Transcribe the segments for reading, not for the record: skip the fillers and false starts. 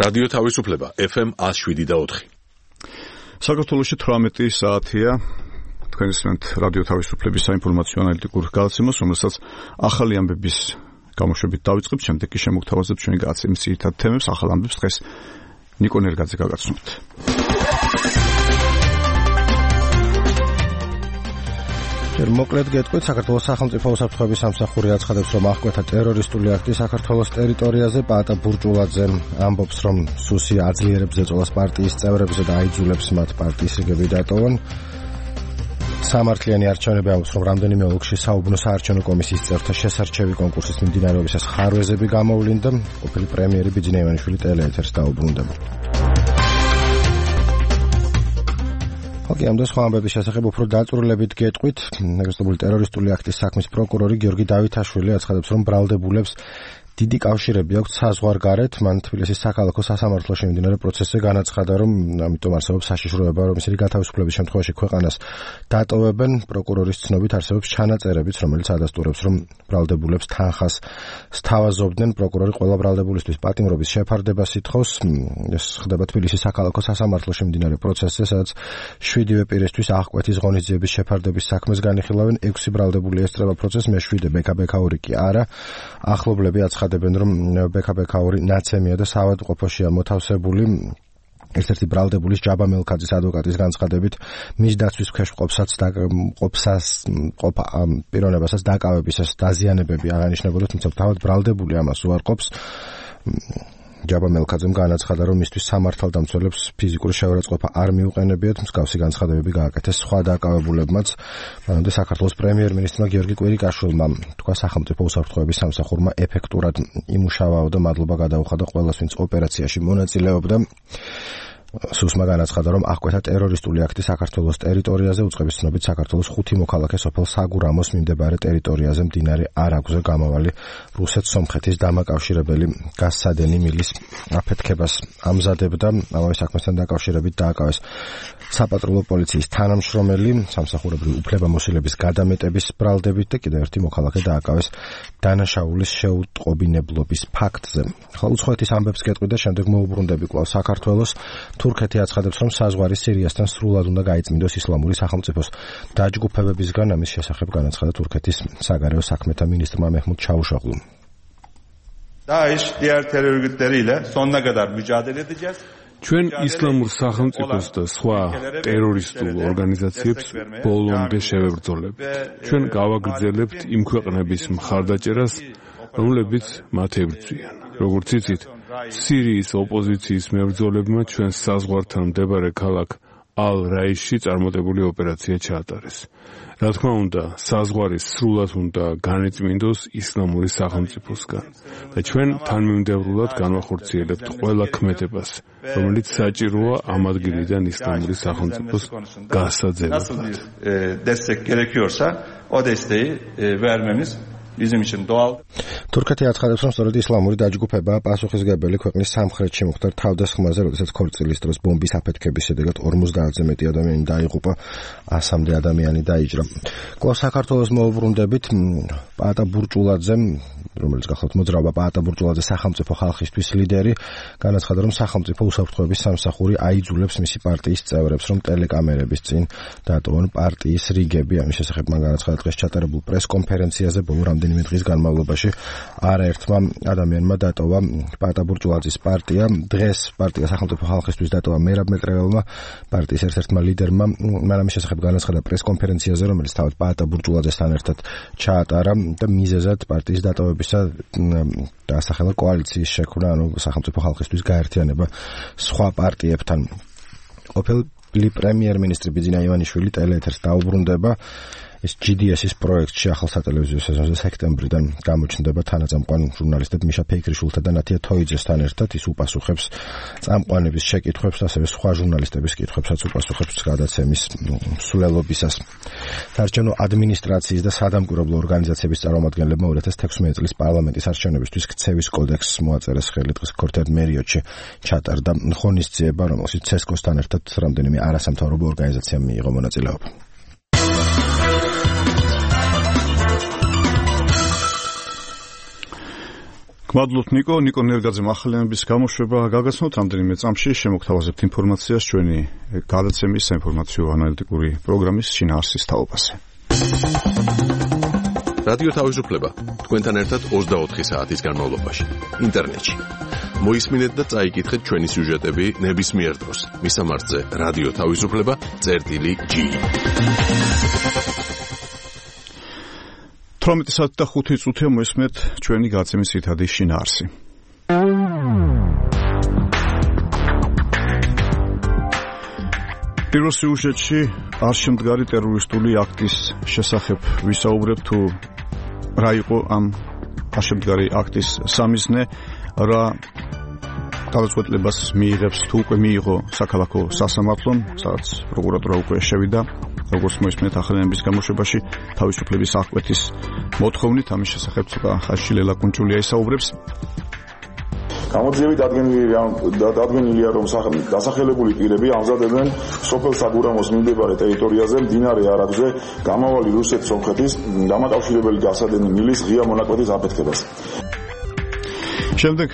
რადიო თავისუფლება FM 107.4. საქართველოში 18 საათია. თქვენ ისმენთ რადიო თავისუფლების საინფორმაციო ანალიტიკურ გადაცემას, რომელსაც ახალი ამბების გამოშვებით დავიწყებთ, შემდეგ კი შემოგთავაზებთ ჩვენი გადაცემის ძირითად თემებს. ახალ ამბებს დღეს ნიკო ნერგაძე გაგაცნობთ. მოკლედ გეტყვით, საქართველოს სახელმწიფო უსაფრთხოების სამსახური აცხადებს, რომ აღკვეთა ტერორისტული აქტი საქართველოს ტერიტორიაზე. პაატა ბურჭულაძე ამბობს, რომ სუსი აძლიერებს ზეწოლას პარტიის წევრებზე და აიძულებს მათ პარტიის რიგები დატოვონ. სამართლიანი არჩევნები ამბობს, რომ რამდენიმე ოლქში საუბნო საარჩევნო კომისიის წევრთა შესარჩევი კონკურსის მიმდინარეობისას ხარვეზები გამოვლინდა. ყოფილი პრემიერი ბიძინა ივანიშვილი ტელეეთერს დაუბრუნდება. ხოქი ამ სხვა ამბების შესახებ უფრო დაწვრილებით გეტყვით. ნეგატიური ტერორისტული აქტის საქმის პროკურორი გიორგი დავითაშვილი აცხადებს, რომ ბრალდებულებს დიდი კავშირები აქვს საზღვარგარეთ. მან თბილისის საქალაქო სასამართლოში მიმდინარე პროცესზე განაცხადა, რომ ამიტომ არსებობს საშიშროება, რომ ისინი გათავისუფლების შემთხვევაში ქვეყანას დატოვებენ. პროკურორის ცნობით არსებობს ჩანაწერებიც, რომელიც ადასტურებს, რომ ბრალდებულებს თანხას სთავაზობდნენ. პროკურორი ყველა ბრალდებულისთვის პატიმრობის შეფარდებას ითხოვს. ეს ხდება თბილისის საქალაქო სასამართლოში მიმდინარე პროცესზე, სადაც 7 პირისთვის აღკვეთის ღონისძიების შეფარდების საქმეს განიხილავენ. 6 ბრალდებული ესწრება პროცესს, მე-7 ბექა-ბექაური კი არა. ახლობლები აცხადებენ, რომ ბექა-ბექაური ნაცემია და საავადმყოფოშია მოთავსებული. ერთ-ერთი ბრალდებულის ჯაბა მელქაძის ადვოკატის განცხადებით, მის დაცვის ქვეშ პიროვნებასაც დაკავებისას დაზიანებები აღანიშნებოდა, თუმცა თავად ბრალდებული ამას უარყოფს. ჯაბა მელქაძემ განაცხადა, რომ მისთვის სამართალდამცველებს ფიზიკური შეურაცხყოფა არ მიუყენებიათ. მსგავსი განცხადებები გააკეთეს სხვა დაკავებულებმაც. მანამდე საქართველოს პრემიერ-მინისტრმა გიორგი კვირიკაშვილმა თქვა, სახელმწიფო უსაფრთხოების სამსახურმა ეფექტურად იმუშავაო და მადლობა გადაუხადა ყველას, ვინც ოპერაციაში მონაწილეობდა. სუსმა განაცხადა, რომ აღკვეთა ტერორისტული აქტი საქართველოს ტერიტორიაზე. უწყების ცნობით, საქართველოს 5 მოქალაქე სოფელ საგურამოს მიმდებარე ტერიტორიაზე მდინარე არაგვზე გამავალი რუსეთ-სომხეთის დამაკავშირებელი გაზსადენი მილის აფეთქებას ამზადებდა. ამავე საქმესთან დაკავშირებით დააკავეს საპატრულო პოლიციის თანამშრომელი სამსახურებრივი უფლებამოსილების გადამეტების ბრალდებით და კიდევ ერთი მოქალაქე დააკავეს დანაშაულის შეუტყობინებლობის ფაქტზე. ახლა უცხოეთის ამბებს გეტყვით და შემდეგ მოუბრუნდები კვლავ საქართველოს. თურქეთი აცხადებს, რომ საზღვარი სირიასთან სრულად უნდა გაიწმინდოს ისლამური სახელმწიფოს დაჯგუფებებისგან. ამის შესახებ განაცხადა თურქეთის საგარეო საქმეთა მინისტრმა მეჰმუდ ჩავუშოღლუმ. DAESH diğer terör örgütleriyle sonuna kadar mücadele edeceğiz. ჩვენ ისლამურ სახელმწიფოს და სხვა ტერორისტულ ორგანიზაციებს ბოლომდე შევებრძოლებთ. ჩვენ გავაგრძელებთ იმ ქვეყნების მხარდაჭერას, რომლებიც მათ ებრძვიან. როგორც იცით, სირიის ოპოზიციის მებრძოლებმა ჩვენს საზღვართან მდებარე ქალაქ ალ-რაისში წარმატებული ოპერაცია ჩაატარეს. რა თქმა უნდა, საზღვარი სრულად უნდა განეწმინდოს ისლამური სახელმწიფოსგან და ჩვენ თანმიმდევრულად განვახორციელებთ ყველა ქმედებას, რომელიც საჭიროა ამ ადგილიდან ისლამური სახელმწიფოს გასაძევრად. Destek gerekiyorsa o desteği vermemiz bizim için doğal. თურქეთი აცხადებს, რომ სწორედ ისლამური დაჯგუფებაა პასუხისმგებელი ქვეყნის სამხრეთში მოხდარ თავდასხმაზე, როდესაც ქორწილის დროს ბომბის აფეთქების შედეგად 50-ზე მეტი ადამიანი დაიღუპა, 100-მდე ადამიანი დაიჭრა. კვლავ საქართველოს მოუბრუნდებით. პაატა ბურჭულაძე, რომელიც გახლავთ მოძრაობა პაატა ბურჭულაძე სახელმწიფო ხალხისთვის ლიდერი, განაცხადა, რომ სახელმწიფო უსაფრთხოების სამსახური აიძულებს მისი პარტიის წევრებს, რომ ტელეკამერების წინ დატოვონ პარტიის რიგები. ამის შესახებ მან განაცხადა დღეს ჩატარებულ პრესკონფერენციაზე. ბოლო რამდენიმე დღის განმავლობაში არაერთმა ადამიანმა დატოვა პაატა ბურჭულაძის პარტია. დღეს პარტია სახელმწიფო ხალხისთვის დატოვა მერაბ მეტრეველმა, პარტიის ერთ-ერთმა ლიდერმა. მან ამის შესახებ განაცხადა პრესკონფერენციაზე, რომელიც თავად პაატა ბურჭულაძესთან ერთად ჩაატარა და მიზეზად პარტიის დატოვებისა დაასახელა კოალიციის შექმნა, ანუ სახელმწიფო ხალხისთვის გაერთიანება სხვა პარტიებთან. ყოფილი პრემიერ-მინისტრი ბიძინა ივანიშვილი ტელეეთერს დაუბრუნდება. ეს GDS-ის პროექტში ახალ სატელევიზიო სეზონზე სექტემბრიდან გამოჩნდება თანაწამყვან ჟურნალისტებ მიშა ფეიქრიშვილთა და ნათია თოიძესთან ერთად. ის უპასუხებს წამყვანების შეკითხვებს, ასევე სხვა ჟურნალისტების კითხვებსაც უპასუხებს გადაცემის მსვლელობისას. საარჩევნო ადმინისტრაციის და სადამკვირვებლო ორგანიზაციების წარმომადგენლებმა 2016 წლის პარლამენტის არჩევნებისთვის ქცევის კოდექსს მოაწერეს ხელი. დღეს ქორთერ მერიოტში ჩატარდა ღონისძიება, რომელშიც ცესკოსთან ერთად რამდენიმე არასამთავრობო ორგანიზაციამ მიიღო მონაწილეობა. გმადლობთ ნიკო ნერგაძემ ახალიანების გამოშვება გაგაცნოთ რამდენიმე წამში შემოგთავაზებთ ინფორმაციას ჩვენი გადაცემის საინფორმაციო ანალიტიკური პროგრამის შინაარსის თაობაზე. რადიო თავისუფლება თქვენთან ერთად 24 საათის განმავლობაში ინტერნეტში. მოისმინეთ და წაიკითხეთ ჩვენი სიუჟეტები ნებისმიერ დროს. მისამართზე რადიო თავისუფლება.g 18 საათი და 5 წუთია მოისმენთ ჩვენი გადაცემის ძირითადი შინაარსი. პირველ სიუჟეტში არშემდგარი ტერორისტული აქტის შესახებ ვისაუბრებთ თუ რა იყო ამ არშემდგარი აქტის სამიზნე, რა გადაწყვეტილებას მიიღებს თუ უკვე მიიღო საქალაქო სასამართლომ, სადაც პროკურატურა უკვე შევიდა, როგორც მოისმენთ ახალიანების გამოშვებაში თავისუფლების აღკვეთის მოთხოვნით, ამის შესახებ ცოტა ხანში ლელა კუნჭულია ისაუბრებს. გამოძიებით დადგენილია, რომ დასახელებული პირები ამზადებენ სოფელ საგურამოს მიმდებარე ტერიტორიაზე მდინარე არაგვზე გამავალი რუსეთ-სომხეთის დამაკავშირებელი გასადენი მილის ღია მონაკვეთის აფეთქებას. შემდეგ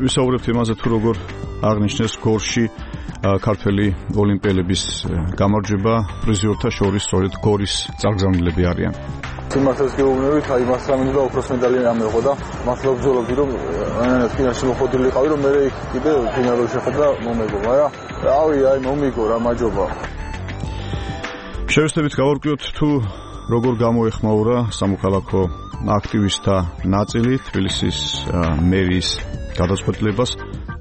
ვისაუბრებთ იმაზე, თუ როგორ აღნიშნეს გორში ქართველი ოლიმპიელების გამარჯვება პრიზიორთა შორის სწორედ გორის წარგზავნილები არიან. სიმართლეს გეუბნებით, აი მას რამინდა ოქროს მედალი ამეღო და მართლა ვბრძოლობდი, რომ ფინალში მოხდილიყავი, რომ მე კიდე ფინალში შეხვდა მომეგო, მაგრამ რავი, აი მომიგო რა მაჯობა. შევეცდებით გავარკვიოთ თუ როგორ გამოეხმაურა სამოქალაქო აქტივისტთა ნაწილი თბილისის მერიის გადაწყვეტილებას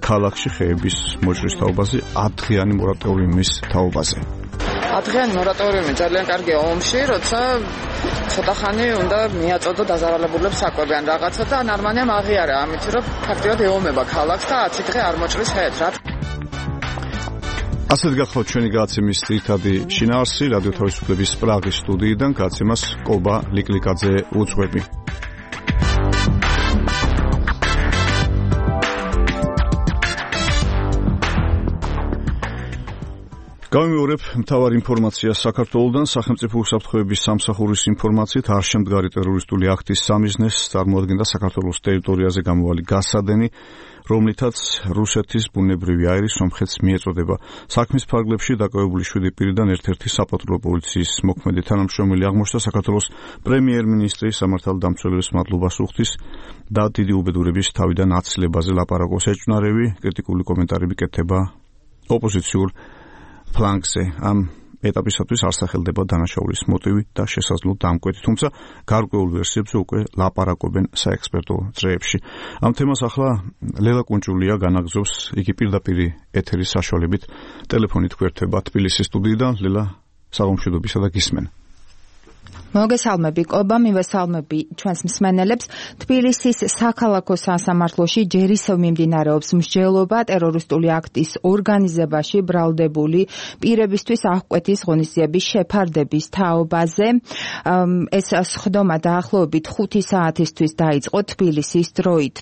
ქალაქში ხეების მოჭრის თაობაზე 10 დღიანი მორატორიუმის თაობაზე. 10 დღიანი მორატორიუმი ძალიან კარგია ომში, როცა ცოტა ხანი უნდა მიაწოდო დაზარალებულებს საკვებიან რაღაცა და ნორმალია აღიარა, ამით რომ ფაქტიურად ეომება ქალაქს და 10 დღე არ მოჭრის ხეებს რა. ასეთ გახლავთ ჩვენი გადაცემის ძირითადი შინაარსი რადიო თავისუფლების პრაღის სტუდიიდან გადაცემას კობა ლიკლიკაძე უძღვები. გამიმეორებ მთავარ ინფორმაციას საქართველოდან. სახელმწიფო უსაფრთხოების სამსახურის ინფორმაციით არშემდგარი ტერორისტული აქტის სამიზნეს წარმოადგენდა საქართველოს ტერიტორიაზე გამოვალი გასადენი, რომლითაც რუსეთის ბუნებრივი აირი სომხეთს მიეწოდება. საქმის ფარგლებში დაკავებული 7 პირიდან ერთ-ერთი საპატრულო პოლიციის მოქმედი თანამშრომელი აღმოჩნდა საქართველოს პრემიერ-მინისტრი სამართალდამცველების მადლობას უხდის და დიდი უბედურების თავიდან აცილებაზე ლაპარაკობს. ეჭვნარევი კრიტიკული კომენტარები კეთდება ოპოზიციურ ფლანგზე. ამ ეტაპისათვის არ სახელდება დანაშაულის მოტივი და შესაძლო დამკვეთი, თუმცა გარკვეულ ვერსიებზე უკვე ლაპარაკობენ საექსპერტო წრეებში. ამ თემას ახლა ლელა კუნჭულია განაგზობს, იგი პირდაპირ ეთერის საშუალებით ტელეფონით გვერდება თბილისის სტუდიიდან. ლელა, საღამოშიდობისა და გისმენ. მოგესალმები კობა, მივესალმები ჩვენს მსმენელებს. თბილისის საქალაქო სასამართლოში ჯერ ისევ მიმდინარეობს მსჯელობა ტერორისტული აქტის ორგანიზებაში ბრალდებული პირებისთვის აღკვეთის ღონისძიების შეფარდების თაობაზე. ეს სხდომა დაახლოებით 5 საათისთვის დაიწყო თბილისის დროით.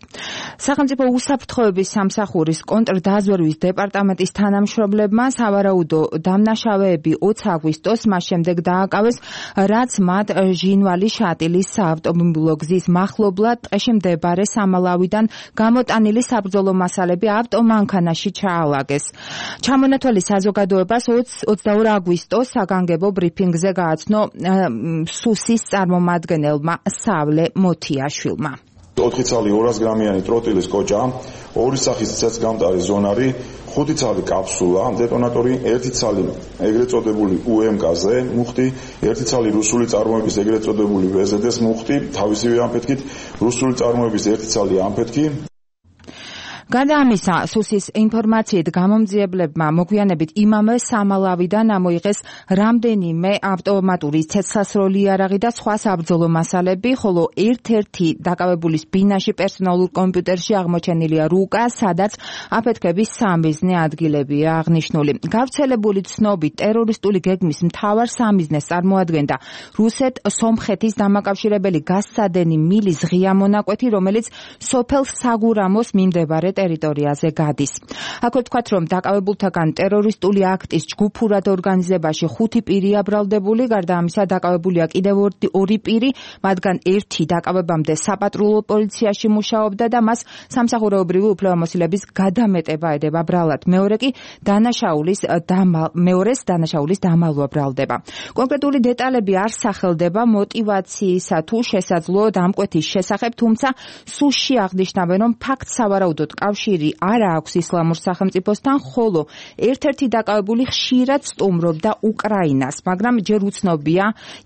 სახელმწიფო უსაფრთხოების სამსახურის კონტრდაზვერვის დეპარტამენტის თანამშრომლებმა სავარაუდო დამნაშავეები 20 აგვისტოს მას შემდეგ დააკავეს, რაც ჟინვალი შატილის საავტომობილო გზის მახლობლად ტყეში მდებარე სამალავიდან გამოტანილი საბრძოლო მასალები ავტომანქანაში ჩაალაგეს. ჩამონათვალი საზოგადოებას 22 აგვისტოს საგანგებო ბრიფინგზე გააცნო სუსის წარმომადგენელმა სავლე მოთიაშვილმა. 4 ცალი 200 გრამიანი ტროტილის კოჭა, 2 სახის ცეცხლგამტარი ზონარი, 5 ცალი კაფსულა, დეტონატორი, 1 ცალი ეგრეთ წოდებული UMK-ზე მუხტი, 1 ცალი რუსული წარმოების ეგრეთ წოდებული VZD-ს მუხტი, თავისივე ამფეთქით, რუსული წარმოების 1 ცალი ამფეთქი. გარდა ამისა, სუსის ინფორმაციით გამომძიებლებმა მოგვიანებით იმავე სამალავიდან ამოიღეს რამდენიმე ავტომატური ცეცხლსროლი იარაღი და სხვა საბრძოლო მასალები, ხოლო ერთ-ერთი დაკავებულის ბინაში პერსონალურ კომპიუტერში აღმოჩენილია რუკა, სადაც აფეთქების სამიზნე ადგილებია აღნიშნული. გავრცელებული ცნობით ტერორისტული გეგმის მთავარ სამიზნეს წარმოადგენდა რუსეთ-სომხეთის დამაკავშირებელი გასცადენი მილის ღია მონაკვეთი, რომელიც სოფელ საგურამოს მიმდებარე ტერიტორიაზე გადის. აქვე თქვათ, რომ დაკავებულთაგან ტერორისტული აქტის ჯგუფურად ორგანიზებაში 5 პირი აბრალდებული, გარდა ამისა დაკავებულია კიდევ 2 პირი, მათგან ერთი დაკავებამდე საპატრულო პოლიციაში მუშაობდა და მას სამსახურეობრივი უფლებამოსილების გადამეტება ედება ბრალად. მეორეს დანაშაულის დამალვა ბრალდება. კონკრეტული დეტალები არ სახელდება მოტივაციისა თუ შესაძლო დამკვეთის შესახებ, თუმცა სუსში აღნიშნავენ, რომ ფაქტს სავარაუდოდ კავშირი არ აქვს ისლამურ სახელმწიფოსთან, ხოლო ერთ-ერთი დაკავებული ხშირად სტუმრობდა უკრაინას, მაგრამ ჯერ უცნობია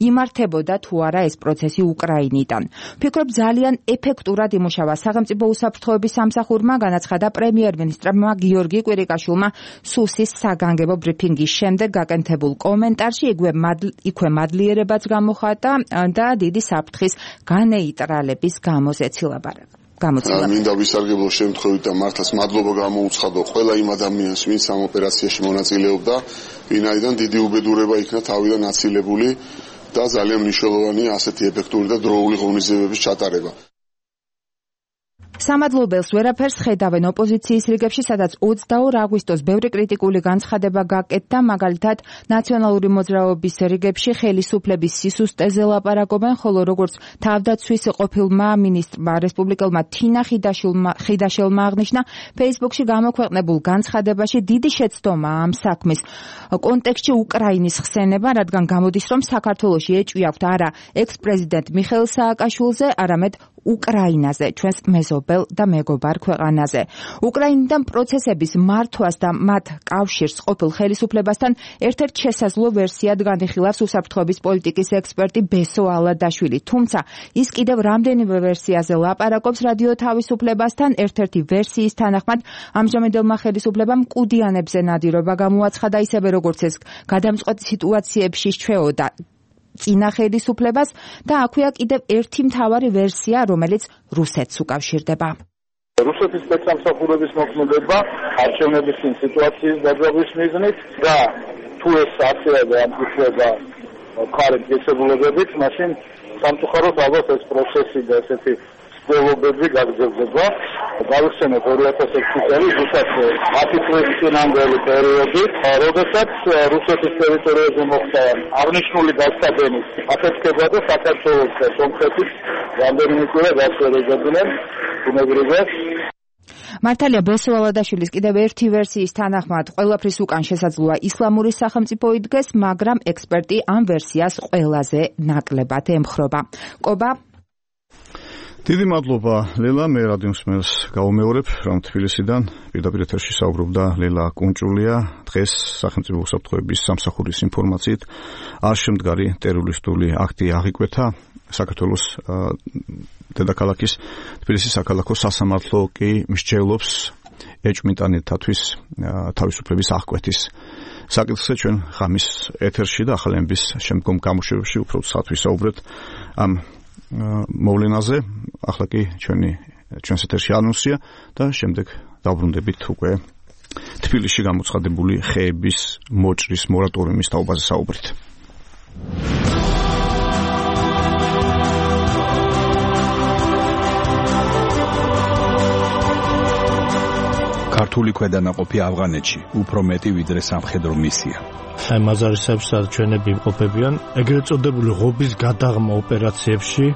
იმართებოდა თუ არა ეს პროცესი უკრაინიდან. ვფიქრობ, ძალიან ეფექტურად იმუშავა სახელმწიფო უსაფრთხოების სამსახურმა, განაცხადა პრემიერ-მინისტრმა გიორგი კვირიკაშვილმა სუსის საგანგებო ბრიფინგის შემდეგ გაკეთებულ კომენტარში. იქვე მადლიერებაც გამოხატა და დიდი საფრთხის განეიტრალების გამოზეცილა ბარება. მინდა ვისარგებლო შემთხვევით და მართლაც მადლობა გამოუცხადო ყველა იმ ადამიანს, ვინც ამ ოპერაციაში მონაწილეობდა, ვინაიდან დიდი უბედურება იქნა თავიდან აცილებული და ძალიან მნიშვნელოვანია ასეთი ეფექტური და დროული ღონისძიებების ჩატარება. სამადლობელს ვერაფერს ხედავენ ოპოზიციის რიგებში, სადაც 22 აგვისტოს ბევრი კრიტიკული განცხადება გაკეთდა, მაგალითად ნაციონალური მოძრაობის რიგებში ხელისუფლების სისუსტეზე ლაპარაკობენ, ხოლო როგორც თავდაცვის ყოფილმა მინისტრმა რესპუბლიკელმა თინა ხიდაშელმა აღნიშნა, Facebook-ში გამოქვეყნებულ განცხადებაში დიდი შეცდომა ამ საქმის კონტექსტში უკრაინის ხსენება, რადგან გამოდის, რომ საქართველოში ეჭვი აქვთ არა ექს-პრეზიდენტ მიხეილ სააკაშვილზე, არამედ უკრაინაზე, ჩვენს მეზობელ და მეგობარ ქვეყანაზე. უკრაინიდან პროცესების მართვას და მათ კავშირს ყოფილ ხელისუფლებასთან ერთ-ერთ შესაძლო ვერსიად განიხილავს უსაფრთხოების პოლიტიკის ექსპერტი ბესო ალადაშვილი. თუმცა ის კიდევ რამდენიმე ვერსიაზე ლაპარაკობს რადიო თავისუფლებასთან. ერთ-ერთი ვერსიის თანახმად ამჟამინდელმა ხელისუფლებამ მკუდიანებზე ნადირობა გამოაცხადა, ისევე როგორც ეს გადამწყვეტ სიტუაციებში ჩვეოდა წინა ხელისუფლებას და აქვეა კიდევ ერთი მთავარი ვერსია, რომელიც რუსეთს უკავშირდება. რუსეთის სპეცსამსახურების მოქმედება არჩევნების სიტუაციის დაძაბვის მიზნით და თუ ეს აცილება ამტკიცება მხარეთ გესებულებებით, მაშინ სამწუხაროდ ალბათ ეს პროცესი და ესეთი სპეულობები გაგრძელდება. გავიხსენოთ 2006 წელი, რუსეთის 10 წლის წინანდელი პერიოდი, როდესაც რუსეთის ტერიტორიაზე მოხდა აღნიშნული გასტაბენის აფეთქება და საქართველოს და სომხეთის რამდენიმე კვირა გასწორებდნენ ბუნებრივად. მართალია ბესო ალადაშვილის კიდევ ერთი ვერსიის თანახმად ყველაფრის უკან შესაძლოა ისლამური სახელმწიფო იდგეს, მაგრამ ექსპერტი ამ ვერსიას ყველაზე ნაკლებად ემხრობა. კობა დიდი მადლობა ლელა, მე რადიოსმენს გავუმეორებ, რომ თბილისიდან პირდაპირ ეთერში საუბრობდა ლელა კუნჭულია. დღეს სახელმწიფო უსაფრთხოების სამსახურის ინფორმაციით არ შემდგარი ტერორისტული აქტი აღიკვეთა საქართველოს დედაქალაქის თბილისის საქალაქო სასამართლო კი მსჯელობს ეჭვმიტანეთათვის თავისუფლების აღკვეთის საკითხზე. ჩვენ ღამის ეთერში და ახალების შემდგომ გამოშვებაში უფრო სათვისაუბრეთ ამ მოვლენაზე. ახლა კი ჩვენს ეთერში ანონსია და შემდეგ დავბრუნდებით უკვე თბილისში გამოცხადებული ხეების მოჭრის მორატორიუმის თაობაზე საუბრით. ქართული ქვედანაყოფი ავღანეთში უფრო მეტი ვიდრე სამხედრო მისია. აი მაზარისებში ჩვენები იმყოფებიან ეგრეთ წოდებული ღობის გადაღმა ოპერაციებში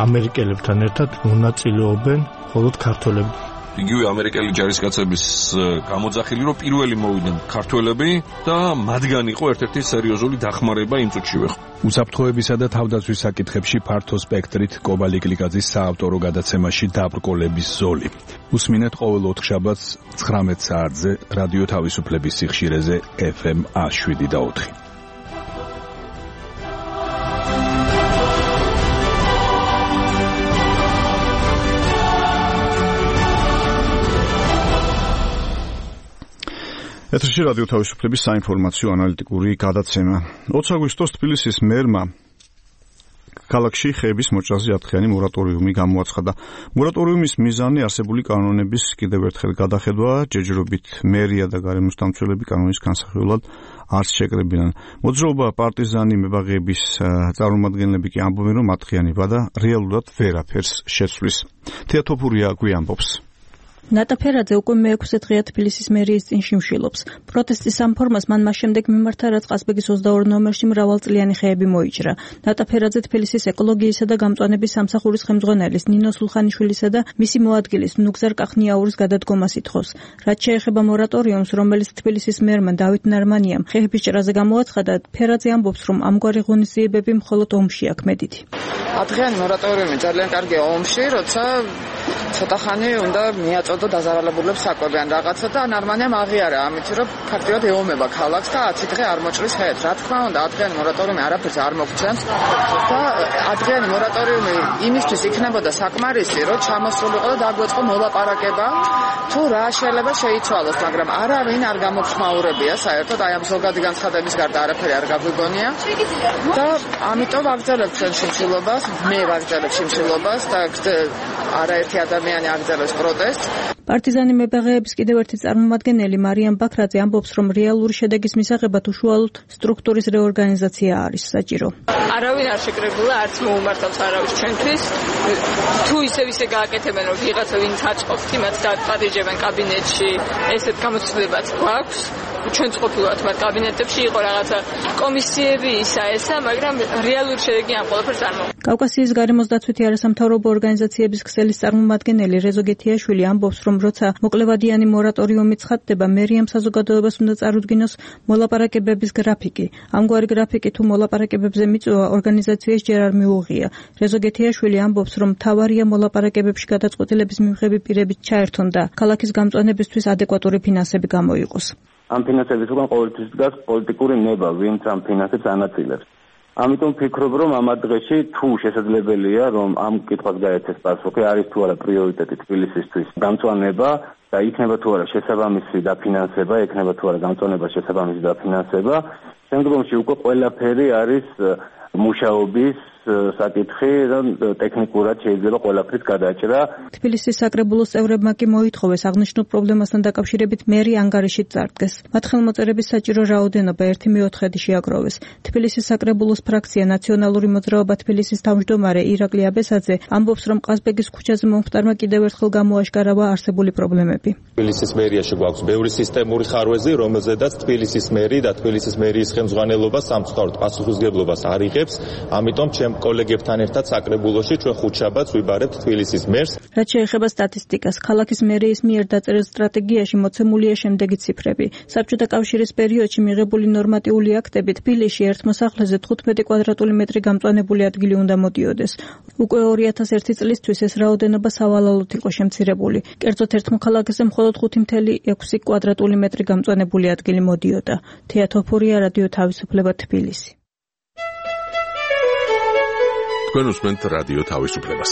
ამერიკელებთან ერთად მონაწილეობენ მხოლოდ ქართველები. იგივე ამერიკელი ჯარისკაცების გამოძახილი, რომ პირველი მოვიდნენ ქართველები და მათგან იყო ერთ-ერთი სერიოზული დახმარება იმ წუთშივე. უსაფრთხოებისა და თავდაცვის საკითხებში ფართო სპექტრით კობა ლიკლიკაძის საავტორო გადაცემაში დაბრკოლების ზოლი. უსმინეთ ყოველ ოთხშაბათს 19 საათზე რადიო თავისუფლების სიხშირეზე FM 107.4. ეთერში რადიო თავისუფლების საინფორმაციო ანალიტიკური გადაცემა. 20 აგვისტოს თბილისის მერმა ქალაქში ხეების მოჭრაზე 10-დღიანი მორატორიუმი გამოაცხადა. მორატორიუმის მიზანი არსებული კანონების კიდევ ერთხელ გადახედვა, ჯერჯერობით მერია და გარემოს დამცველები კანონის განსახილველად არც შეკრებინან. მოძრაობა პარტიზანი მებაღეების წარმომადგენლები კი ამბობენ, რომ 10-დღიანი ვადა რეალურად ვერაფერს შეცვლის. თეატოფურია გვი ამბობს. ნატა ფერაძე უკვე მე-6 დღეა თბილისის მერიის წინ შიმშილობს. პროტესტის ამ ფორმას მან მას შემდეგ მიმართა, რაც ყაზბეგის 22 ნომერში მრავალწლიანი ხეები მოიჭრა. ნატა ფერაძე თბილისის ეკოლოგიისა და გამწვანების სამსახურის ხელმძღვანელის ნინო სულხანიშვილისა და მისი მოადგილის ნუგზარ კახნიაურის გადადგომას ითხოვს. რაც შეეხება მორატორიუმს, რომელიც თბილისის მერმა დავით ნარმანიამ ხეების ჭრაზე გამოაცხადა, ფერაძე ამბობს, რომ ამგვარი ღონისძიებები მხოლოდ ომში აქმედითი. Adrian მორატორიუმი ძალიან კარგია ომში, როცა ცოტა ხანი უნდა მიაწოდო დაზარალებულებს საკვები ან რაღაცა და ნარმანიამ აღიარა, ამით რომ ფაქტიურად ეომება ქალაქს და 10 დღე არ მოჭრის ხეებს. რა თქმა უნდა, Adrian მორატორიუმი არაფერს არ მოგცემს და Adrian მორატორიუმი იმისთვის იქნებოდა საკმარისი, რომ ჩამოსულიყო და დაგვეწყო მოლაპარაკება, თუ რა შეიძლება შეიცვალოს, მაგრამ არავინ არ გამოხმაურებია საერთოდ აი ამ ზოგადი განცხადების გარდა არაფერი არ გაგვიგონია და ამიტომ ვაგრძელებთ ჩვენ შიმშილობას, მე ვაგრძელებ შიმშილობას და არაერთი ადამიანი აგრძელებს პროტესტს. პარტიზანი მებაღეების კიდევ ერთი წარმომადგენელი მარიამ ბაქრაძე ამბობს, რომ რეალური შედეგის მისაღებად უშუალოდ სტრუქტურის რეორგანიზაცია არის საჭირო. არავინ არ შეკრებულა, არც მოუმართავს არავის ჩვენთვის. თუ ისე გააკეთებენ, რომ ვიღაცა ვინც აწყობს, იმათ დაპატიჟებენ კაბინეტში, ესეთ გამოცდილებაც გვაქვს. ჩვენ ყოფილვართ მათ კაბინეტებში, იყო რაღაცა კომისიები ისა, მაგრამ რეალური შედეგი ამ ყველაფერს არ მოხდა. კავკასიის გარემოს დაცვითი არასამთავრობო ორგანიზაციების ქსელის წარმომადგენელი რეზო გეთიაშვილი ამბობს, რომ როცა მოკლევადიანი მორატორიუმი ცხადდება, მერიამ საზოგადოებას უნდა წარუდგინოს მოლაპარაკებების გრაფიკი. ამგვარი გრაფიკი თუ მოლაპარაკებებზე მიწვევა ორგანიზაციას ჯერ არ მიუღია. რეზო გეთიაშვილი ამბობს, რომ მთავარია მოლაპარაკებებში გადაწყვეტილების მიღები პირებით ჩაერთონ და ქალაქის გამწვანებისთვის ადეკვატური ფინანსები გამოიყოს. ამ ფინანსების უკან ყოველთვის დგას პოლიტიკური ნება, ვინც ამ ფინანსებს ანაწილებს. ამიტომ ვფიქრობ, რომ ამ დღეში თუ შესაძლებელია, რომ ამ კითხვას გაეცეს პასუხი, არის თუ არა პრიორიტეტი თბილისისთვის გამწვანება და იქნება თუ არა შესაბამისი დაფინანსება, იქნება თუ არა გამწვანება შესაბამისი დაფინანსება, შემდგომში უკვე ყველაფერი არის მუშაობის საკითხი, რომ ტექნიკურად შეიძლება ყველაფრის გადაჭრა. თბილისის საკრებულოს წევრებმა კი მოითხოვეს აღნიშნულ პრობლემასთან დაკავშირებით მერი ანგარიშით წარდგეს. მათ ხელმოწერების საჭირო რაოდენობა 1/4 შეაგროვეს. თბილისის საკრებულოს ფრაქცია ნაციონალური მოძრაობა თბილისის თავმჯდომარე ირაკლი აბესაძე ამბობს, რომ ყაზბეგის ქუჩაზე მომხდარმა კიდევ ერთხელ გამოაშკარავა არსებული პრობლემები. თბილისის მერიაში გვაქვს ბევრი სისტემური ხარვეზი, რომელზედაც თბილისის მერი და თბილისის მერიის ხელმძღვანელობა სამწუხაროდ პასუხისმგებლობას არ იღებს, ამიტომ კოლეგებთან ერთად საკრებულოში ჩვენ ხუთშაბათს ვიბარებთ თბილისის მერს. რაც შეეხება სტატისტიკას, ქალაქის მერიის მიერ დაწერილ სტრატეგიაში მოცემულია შემდეგი ციფრები. საბჭოთა კავშირის პერიოდში მიღებული ნორმატიული აქტები თბილისში ერთ მოსახლეზე 15 კვადრატული მეტრი გამწვანებული ადგილი უნდა მოდიოდეს. უკვე 2001 წლისთვის ეს რაოდენობა სავალალოდ იყო შემცირებული. კერძოდ ერთ მოქალაქეზე მხოლოდ 5.6 კვადრატული მეტრი გამწვანებული ადგილი მოდიოდა. თეა თოფურია, რადიო თავისუფლება, თბილისი. თქვენ უსმენთ რადიო თავისუფლებას.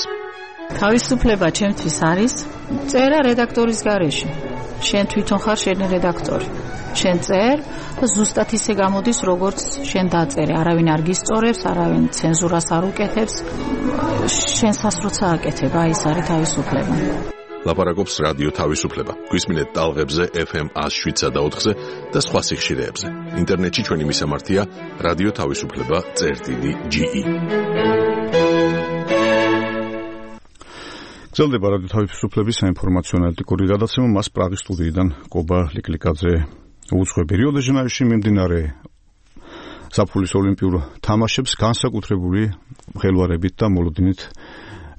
თავისუფლება ჩემთვის არის წერა რედაქტორის გარეშე. შენ თვითონ ხარ შენი რედაქტორი. შენ წერ და ზუსტად ისე გამოდის, როგორც შენ დაწერე. არავინ არ გისწორებს, არავინ ცენზურას არ უკეთებს. შენ სასროცა აკეთებ, აი ეს არის თავისუფლება. ლაპარაკობს რადიო თავისუფლება. გვისმინეთ ტალღებზე FM 107.4-ზე და სხვა სიხშირეებზე. ინტერნეტში ჩვენი მისამართია რადიო თავისუფლება.ge. გრძელდება რადიო თავისუფლების საინფორმაციო ანალიტიკური გადაცემა, მას პრაღის სტუდიიდან კობა ლიკლიკაძე უძღვები. რიო-დე-ჟანეიროში მიმდინარე საფულის ოლიმპიურ თამაშებს განსაკუთრებული ხელვარებით და მოლოდინით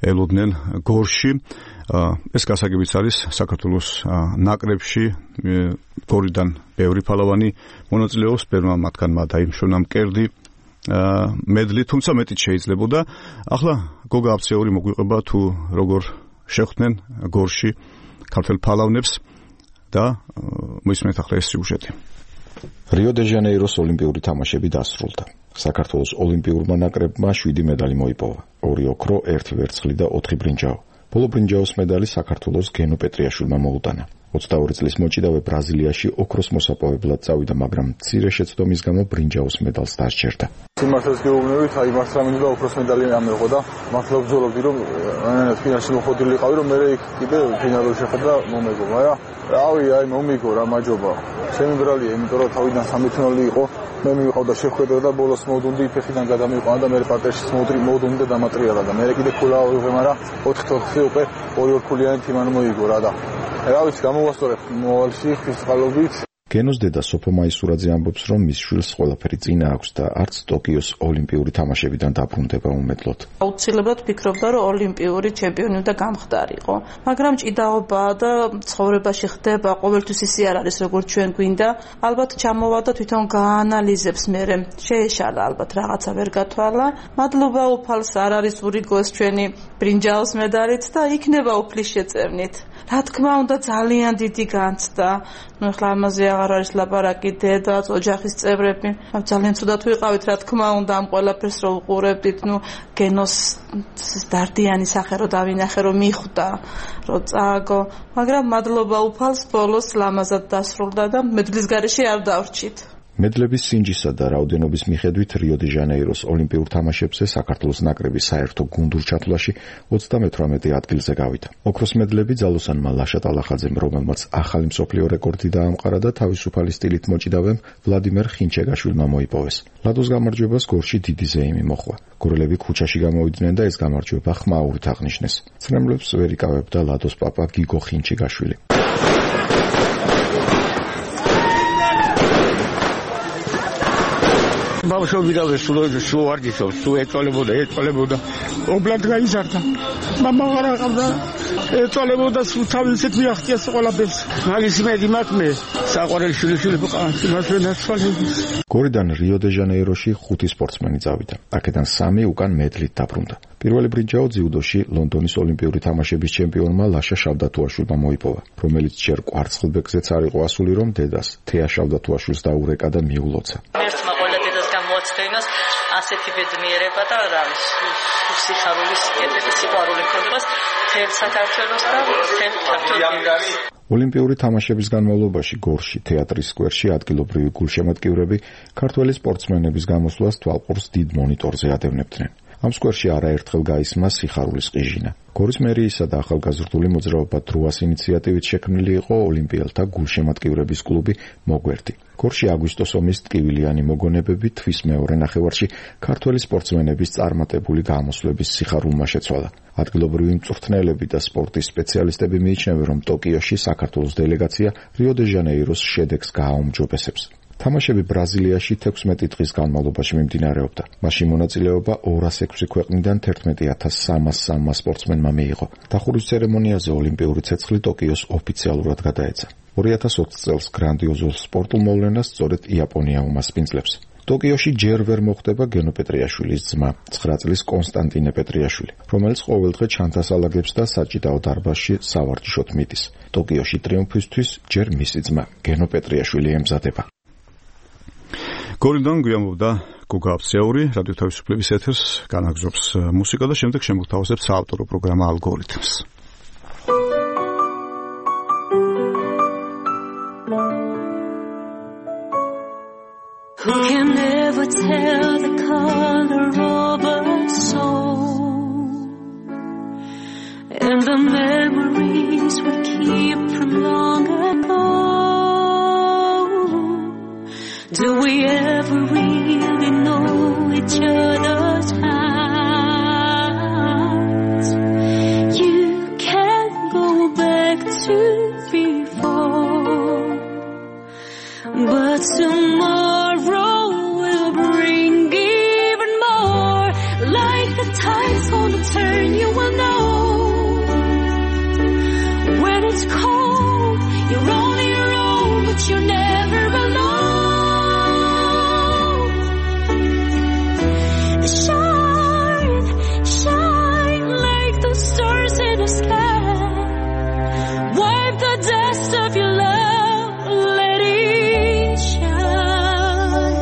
ელოდნენ გორში. ეს გასაგებიც არის საქართველოს ნაკრებში გორიდან ბევრი ფალავანი მონაწილეობს, ბევრმა მათგანმა დაიმშონა მკერდი მედლი, თუმცა მეტიც შეიძლებოდა. ახლა გოგა აფცეული მოგვიყვება თუ როგორ შეხვდნენ გორში ქართველ ფალავნებს და მოისმენთ ახლა ეს სიუჟეტი. რიო-დე-ჟანეიროს ოლიმპიური თამაშები დასრულდა. საქართველოს ოლიმპიურმა ნაკრებმა 7 მედალი მოიპოვა. 2 ოქრო, 1 ვერცხლი და 4 ბრინჯაო. ბოლო ბრინჯაოს მედალი საქართველოს გენო პეტრიაშვილმა მოუტანა. 22 წლის მოჭიდავე ბრაზილიაში ოქროს მოსაპოვებლად წავიდა, მაგრამ მცირე შეცდომის გამო ბრინჯაოს медалს დასჯერდა. სიმართლეს გეუბნებით, აი მართ რა მინდა ოქროს медаლი ამეღო და მართლა ვბრძოლობდი, რომ ფინალში მოხდილი ყავი, რომ მე იქ კიდე ფინალში შეხვდა მომეგო, მაგრამ რავი, აი მომიგო რა მაჯობა. ჩემი ბრალია, იმიტომ რომ თავიდან 3-0 იყო, მე მივიყავდა შეხვედრა და ბოლოს მოდუნდი ფეხიდან გადამიყვანა და მე პარტერში მოდუნდი და დამატრიალა და მე კიდე ქულა ავიღე, მაგრამ 4-4 უკვე 2-2 ქულიანი თიმანი მოიგო რა და რა ვიცი, გამოვასწორებ მოვალში ფიზიკალობით. გენოს დედა სოფო მაისურაძე ამბობს, რომ მის შვილს ყველაფერი წინა აქვს და არც ტოკიოს ოლიმპიური თამაშებიდან დაბრუნდება უმედლოდ. აუცილებლად ფიქრობდა, რომ ოლიმპიური ჩემპიონი უნდა გამხდარიყო, მაგრამ ჭიდაობა და ცხოვრებაში ხდება, ყოველთვის ისე არ არის, როგორც ჩვენ გვინდა. ალბათ ჩამოვა და თვითონ გაანალიზებს მერე. შეეშალა ალბათ რაღაცა ვერ გათვალა. მადლობა უფალს, არ არის ურიგოს ჩვენი ბრინჯაოს медалით და იქნება უფლის შეწევნით. რა თქმა უნდა, ძალიან დიდი განცდა. ნუ ახლა ამაზე აღარ არის ლაპარაკი, დედაც, ოჯახის წევრები. ძალიან ცუდად ვიყავით, რა თქმა უნდა, ამ ყველაფერს რო უყურებდით, ნუ გენოს დარდიანი სახე რო დავინახე, რომ მიხვდა, რომ წააგო, მაგრამ მადლობა უფალს, ბოლოს ლამაზად დასრულდა და მედლის გარეშე არ დავრჩით. მედლების სინჯისა და რაოდენობის მიხედვით რიო-დე-ჟანეიროს ოლიმპიურ თამაშებზე საქართველოს ნაკრები საერთო გუნდურ ჩათვლაში 38 ადგილზე გავიდა. ოქროს მედლები ძალოსანმა ლაშა ტალახაძემ, რომელმაც ახალი მსოფლიო რეკორდი დაამყარა და თავისუფალი სტილით მოჭიდავემ ვლადიმერ ხინჩეგაშვილმა მოიპოვეს. ლადოს გამარჯვებას გორში დიდი ზეიმი მოჰყვა. გორელები ქუჩაში გამოვიდნენ და ეს გამარჯვება ხმაურით აღნიშნეს. ცრემლებს ვერ იკავებდა ლადოს პაპა გიგო ხინჩეგაშვილი. ბავშვობიდანვე სულ ვარჯიშობს, სულ ეწოლებოდა. ობლად გაიზარდა. მამა ვარ აყავდა, ეწოლებოდა, სულ თავისით მიაღწია ყველაფერს. მაგის მედი მაქვს მე. საყვარელი შვილიშვილი ვიყავ, იმას ვერ ნაცვალებს. გორიდან რიო-დე-ჟანეიროში 5 სპორტსმენი წავიდა. აქედან 3 უკან მედლით დაბრუნდა. პირველი ბრინჯაო ძიუდოში ლონდონის ოლიმპიური თამაშების ჩემპიონმა ლაშა შავდათუაშვილმა მოიპოვა, რომელიც ჯერ კვარცხლბეკზეც არ იყო ასული, რომ დედას თეა შავდათუაშვილს დაურეკა და მიულოცა. მოწდენას ასეთი ბედნიერება და რა ვიცი, სიხარულის კეთილი სიყვარული ქონებას თემ საქართველოს და თემ საქართველოს. ოლიმპიური თამაშების განმავლობაში გორში, თეატრის სკვერში ადგილობრივი გულშემატკივრები ქართველი სპორტსმენების გამოსვლას თვალყურს დიდ მონიტორზე ადევნებდნენ. ამ სკვერში არაერთხელ გაისმა სიხარულის ყიჟინა. გორის მერიისა და ახალგაზრდული მოძრაობა დროას ინიციატივით შექმნილი იყო ოლიმპიელთა გულშემატკივრების კლუბი მოგვერდი. გორში აგვისტოს ომის ტკივილიანი მოგონებები თვის მეორე ნახევარში ქართველი სპორტსმენების წარმატებული გამოსვლების სიხარულმა შეცვალა. ადგილობრივი მწვრთნელები და სპორტის სპეციალისტები მიიჩნევენ, რომ ტოკიოში საქართველოს დელეგაცია რიო-დე-ჟანეიროს შედეგს გააუმჯობესებს. თამაშები ბრაზილიაში 16 დღის განმავლობაში მიმდინარეობდა. მაშინ მონაწილეობა 206 ქვეყნიდან 11303 სპორტსმენმა მიიღო. დახურვის ცერემონიაზე ოლიმპიური ცეცხლი ტოკიოს ოფიციალურად გადაეცა. 2020 წელს გრანდიოზულ სპორტულ მოვლენას სწორედ იაპონია უმასპინძლებს. ტოკიოში ჯერ ვერ მოხდება გენო პეტრიაშვილის ძმა, 9 წლის კონსტანტინე პეტრიაშვილი, რომელიც ყოველდღე ჩანთასალაგებს და საჭიდაო დარბაზში სავარჯიშოდ მიდის. ტოკიოში ტრიუმფისთვის ჯერ მისი ძმა, გენო პეტრიაშვილი ემზადება. გორიდან გვიამბობდა გოგა აფციური, რადიო თავისუფლების ეთერს განაგზობს მუსიკა და შემდეგ შემოგთავაზებს საავტორო პროგრამა ალგორითმს. Who can never tell the color of a soul and the memories we keep from long ago? Do we ever really know each other's hearts? You can't go back to before, but tomorrow will bring even more. Like the tide's gonna turn, you will know. When it's cold, you're on your own, but you're never alone. Shine, shine like the stars in the sky. Wipe the dust of your love, let it shine.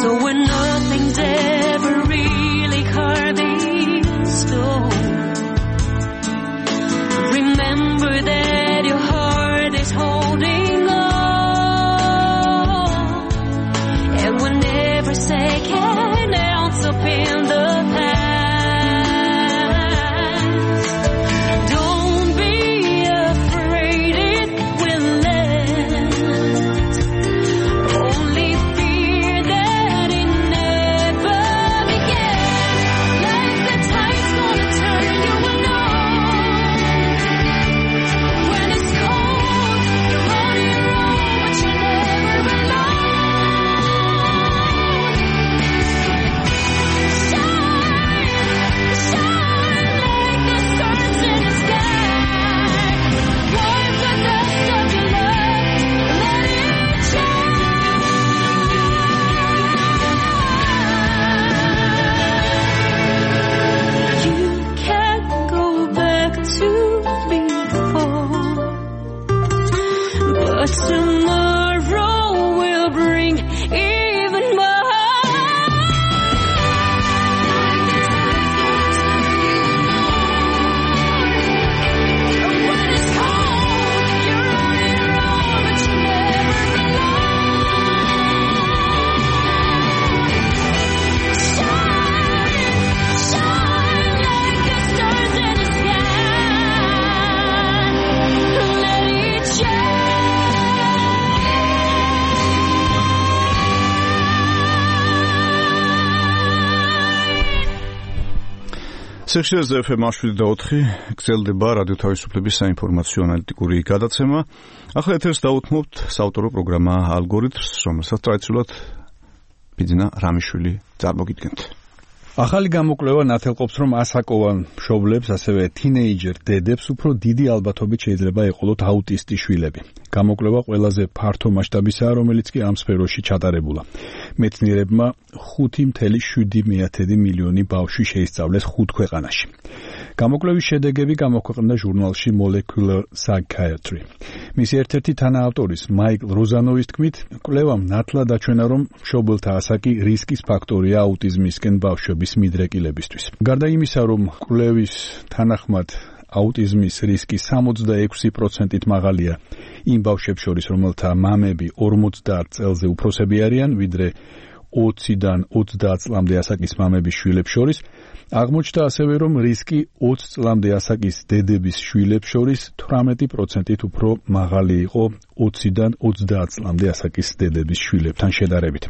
So when nothing's ever really carved in stone, remember that your heart სექციაზე FM 7.4 გრძელდება რადიო თავისუფლების საინფორმაციო ანალიტიკური გადაცემა. ახლა ეთერს დავუთმობთ საავტორო პროგრამა ალგორითმს, რომელსაც ტრადიციულად ბიძინა რამიშვილი წარმოგიდგენთ. ახალი გამოკვლევა ნათელყოფს, რომ ასაკოვან მშობლებს, ასევე თინეიჯერ დედებს უფრო დიდი ალბათობით შეიძლება ეყოლოთ აუტისტი შვილები. გამოკვლევა ყველაზე ფართო მასშტაბისაა, რომელიც კი ამ სფეროში ჩატარებულა. მეცნიერებმა 5.7 მილიონი ბავშვი შეისწავლეს 5 ქვეყანაში. გამოკვლევის შედეგები გამოქვეყნდა ჟურნალში Molecular Psychiatry. მისი ერთ-ერთი თანაავტორის მაიკლ როზანოვის თქმით, კვლევამ ნათლად აჩვენა, რომ მშობელთა ასაკი რისკის ფაქტორია აუტიზმისკენ ბავშვების მიდრეკილებისთვის. გარდა იმისა, რომ კვლევის თანახმად აუტიზმის რისკი 66%-ით მაღალია იმ ბავშვებს შორის, რომელთა მამები 50 წელზე უფროსები არიან, ვიდრე 20-დან 30 წლამდე ასაკის მამების შვილებს შორის, აღმოჩნდა ასევე, რომ რისკი 20 წლამდე ასაკის დედების შვილებს შორის 18%-ით უფრო მაღალი იყო 20-დან 30 წლამდე ასაკის დედების შვილებთან შედარებით.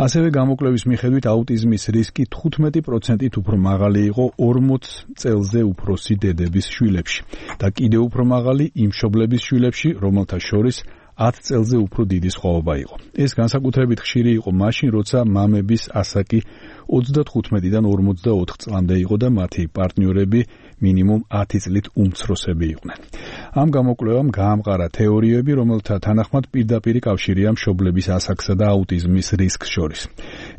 ასევე გამოკვლევის მიხედვით აუტიზმის რისკი 15%-ით უფრო მაღალი იყო 40 წელზე უფროსი დედების შვილებში და კიდევ უფრო მაღალი იმ მშობლების შვილებში, რომელთა შორის 10 წელზე უფრო დიდი სხვაობა იყო. ეს განსაკუთრებით ხშირი იყო მაშინ, როცა მამების ასაკი 35-დან 44 წლამდე იყო და მათი პარტნიორები მინიმუმ 10 წლით უმცროსები იყვნენ. ამ გამოკვლევამ გაამყარა თეორიები, რომელთა თანახმად პირდაპირ კავშირია მშობლების ასაკსა და აუტიზმის რისკს შორის.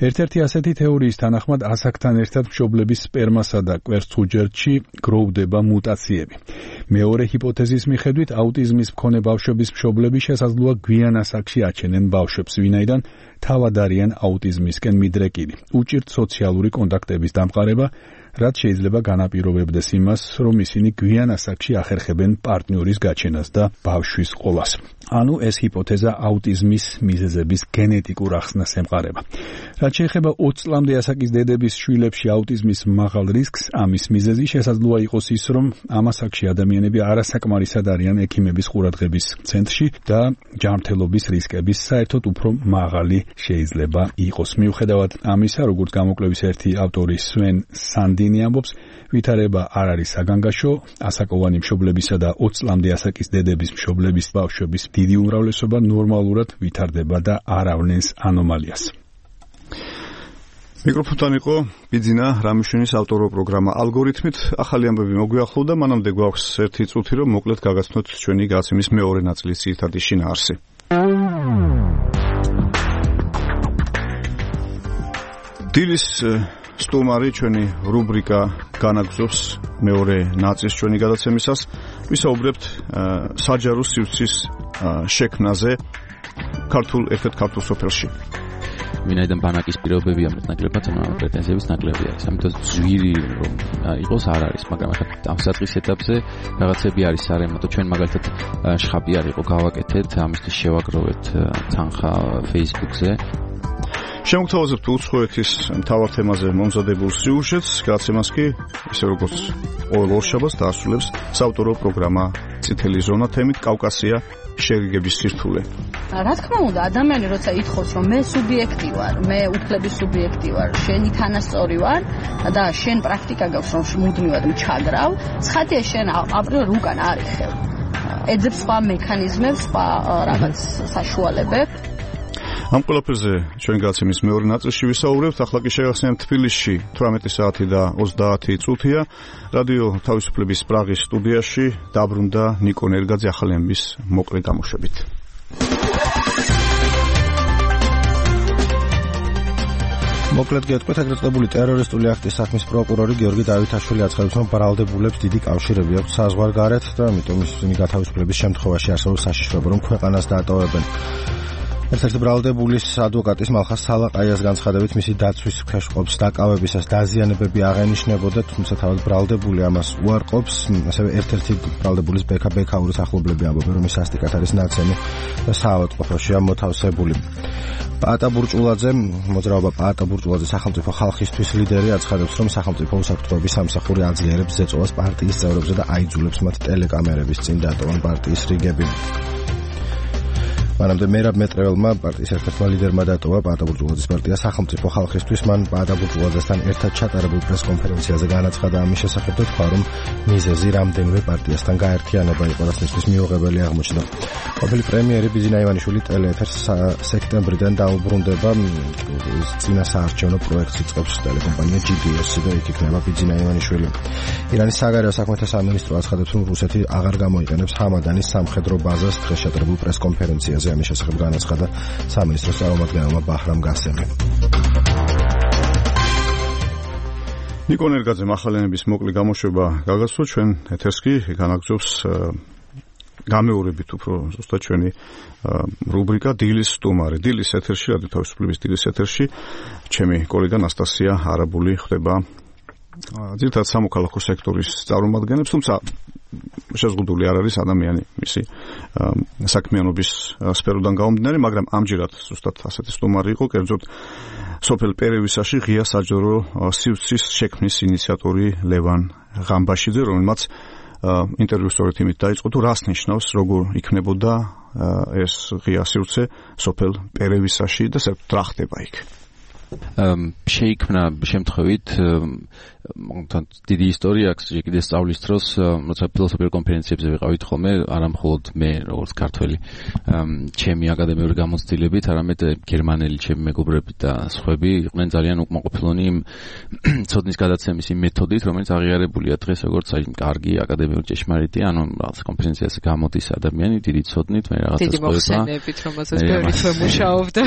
ერთ-ერთი ასეთი თეორიის თანახმად ასაკთან ერთად მშობლების სპერმასა და კვერცხუჯერდში გროვდება მუტაციები. მეორე ჰიპოთეზის მიხედვით აუტიზმის მქონე ბავშვების მშობლები შესაძლოა გვიან ასაკში აჩენენ ბავშვებს, ვინაიდან თავად არიან აუტიზმისკენ მიდრეკილი. უჭირთ სოციალური კონტაქტების დამყარება, რაც შეიძლება განაპირობებდეს იმას, რომ ისინი გვიან ასაკში ახერხებენ პარტნიორის გაჩენას და ბავშვის ყოლას. ანუ ეს ჰიპოთეზა აუტიზმის მიზეზების გენეტიკურ ახსნას ემყარება. რაც შეეხება 20 წლამდე ასაკის დედების შვილებში აუტიზმის მაღალ რისკს, ამის მიზეზი შესაძლოა იყოს ის, რომ ამ ასაკში ადამიანები არასაკმარისად არიან ექიმების ყურადღების ცენტრში და ჯანმრთელობის რისკების საერთოდ უფრო მაღალი შეიძლება იყოს. მიუხედავად ამისა, როგორც გამოკვლევის ერთი ავტორი სვენ სანდინი ამბობს, ვითარება არ არის საგანგაშო, ასაკოვანი მშობლებისა და 20 წლამდე ასაკის დედების მშობლების ბავშვების დიდი უმრავლესობა ნორმალურად ვითარდება და არ ავლენს ანომალიას. მიკროფონთან იყო ბიძინა რამიშვილის ავტორო პროგრამა ალგორითმით. ახალი ამბები მოგვიახლოვდა, მანამდე გვაქვს ერთი წუთი, რომ მოკლედ გაგაცნოთ ჩვენი გაცემის მეორე ნაწილის ძირითადი შინაარსი. დილის სტუმარი ჩვენი რუბრიკა განაგზობს მეორე ნაწილს ჩვენი გადაცემისას. ვისაუბრებთ საჯარო სივრცის შექმნაზე ერთ-ერთ ქართულ სოფელში. ვინაიდან ბანაკის პირობები ამ ნაკლებად პრეტენზიების ნაკლები არის. ამიტომ ძვირი რომ იყოს არ არის, მაგრამ ამ საწყის ეტაპზე რაღაცები არის არემატო. ჩვენ მაგალითად შხაპი არ იყო გავაკეთეთ, ამისთვის შევაგროვეთ თანხა Facebook-ზე. შემოგთავაზებთ უცხოეთის მთავარ თემაზე მომზადებულ სიუჟეტს, გადაცემას კი ისე როგორც ყოველ ორშაბათს დაასრულებს საავტორო პროგრამა წითელი ზონა თემით კავკასია შეგეგების სირთულე. რა თქმა უნდა, ადამიანი როცა ითხოვს, რომ მე სუბიექტი ვარ, მე უფლების სუბიექტი ვარ, შენი თანასწორი ვარ და შენ პრაქტიკა გაქვს, რომ მუდმივად ჩაგრავ, ცხადია შენ აპრიორ უკან არ იხევ. ეძებს სხვა მექანიზმებს, სხვა რაღაც საშუალებებს. ამ ყველაფერზე ჩვენი გადაცემის მეორე ნაწილში ვისაუბრებთ. ახლა კი შეგახსენებთ თბილისში 18 საათი და 30 წუთია. რადიო თავისუფლების პრაღის სტუდიაში დაბრუნდა ნიკო ნერგაძე ახალი ამბის მოკლე გამოშვებით. მოკლედ გეტყვით, ეგრეთ წოდებული ტერორისტული აქტის საქმის პროკურორი გიორგი დავითაშვილი აცხადებს, რომ ბრალდებულებს დიდი კავშირები აქვთ საზღვარგარეთ და ამიტომ ისინი გათავისუფლების შემთხვევაში არსებულ საშიშროება, რომ ქვეყანას დაატოვებენ. ერთ-ერთი ბრალდებულის ადვოკატის მალხას სალაყაიას განცხადებით, მისი დაცვის ქვეშყოფს დაკავებისას დაზიანებები აღენიშნებოდა, თუმცა თავად ბრალდებული ამას უარყოფს. ასევე ერთ-ერთი ბრალდებულის ბექაურის ახლობლები ამბობენ, რომ ის სასტიკად არის ნაცემი და საავადმყოფოშია მოთავსებული. პაატა ბურჭულაძე, მოძრაობა პაატა ბურჭულაძე სახელმწიფო ხალხისთვის ლიდერი აცხადებს, რომ სახელმწიფო უსაფრთხოების სამსახური აძლიერებს ზეწოლას პარტიის წევრებზე და აიძულებს მათ ტელეკამერების წინ დატოვონ პარტიის რიგები. მანამდე მერაბ მეტრეველმა პარტიის ერთ-ერთმა ლიდერმა დატოვა პაატა ბურჟუაზის პარტია სახელმწიფო ხალხისთვის. მან პაატა ბურჟუაზესთან ერთად ჩატარებულ პრესკონფერენციაზე განაცხადა ამის შესახებ და თქვა, რომ მიზეზი რამდენიმე პარტიასთან გაერთიანება იყო, რაც მისთვის მიუღებელი აღმოჩნდა. ყოფილი პრემიერი ბიზინა ივანიშვილი ტელეეთერს სექტემბრიდან დაუბრუნდება. წინა საარჩევნო პროექტს იწყებს ტელეკომპანია GDS და იქ იქნება ბიზინა ივანიშვილი. ირანის საგარეო საქმეთა სამინისტრო აცხადებს, რომ რუსეთი აღარ გამოიყენებს ჰამადანის სამხედრო ბაზას დღეს ჩატარებულ პრესკონფერენციაზე. ამის შესახებ განაცხადა სამინისტროს წარმომადგენელმა ბაჰრამ გასემი. ნიკო ნერგაძე მახალენების მოკლე გამოშვება გაგაცნო. ჩვენ ეთერს კი განაგზობს გამეორებით უფრო ზუსტად ჩვენი რუბრიკა დილის სტუმარი. დილის ეთერში, რადიო თავისუფლების დილის ეთერში ჩემი კოლეგა ნასტასია არაბული ხდება ძირითადად სამოქალაქო სექტორის წარმომადგენლებს, თუმცა შეზღუდული არ არის ადამიანი მისი საქმიანობის სფეროდან გამომდინარე, მაგრამ ამჯერად ზუსტად ასეთი სტუმარი იყო, კერძოდ სოფელ პერევისაში ღია საჯარო სივრცის შექმნის ინიციატორი ლევან ღამბაშიძე, რომელმაც ინტერვიუ სწორედ იმით დაიწყო, თუ რას ნიშნავს, როგორ იქნებოდა ეს ღია სივრცე სოფელ პერევისაში და საერთოდ რა ხდება იქ. შეიქმნა შემთხვევით დიდი ისტორია აქვს კიდე სწავლის დროს, როცა ფილოსოფიურ კონფერენციებზე ვიყავით ხოლმე, არა მხოლოდ მე როგორც ქართველი ჩემი აკადემიური გამოცდილებით, არამედ გერმანელი ჩემი მეგობრები და სხვები იყვნენ ძალიან უკმაყოფილონი იმ ცოდნის გადაცემის იმ მეთოდით, რომელიც აღიარებულია დღეს როგორც აი კარგი აკადემიური ჭეშმარიტი, ანუ რაღაც კონფერენციაზე გამოდის ადამიანი დიდი ცოდნით, მე რაღაცას დიდი მოხსენებით, რომელსაც ბევრი თვე მუშაობდა.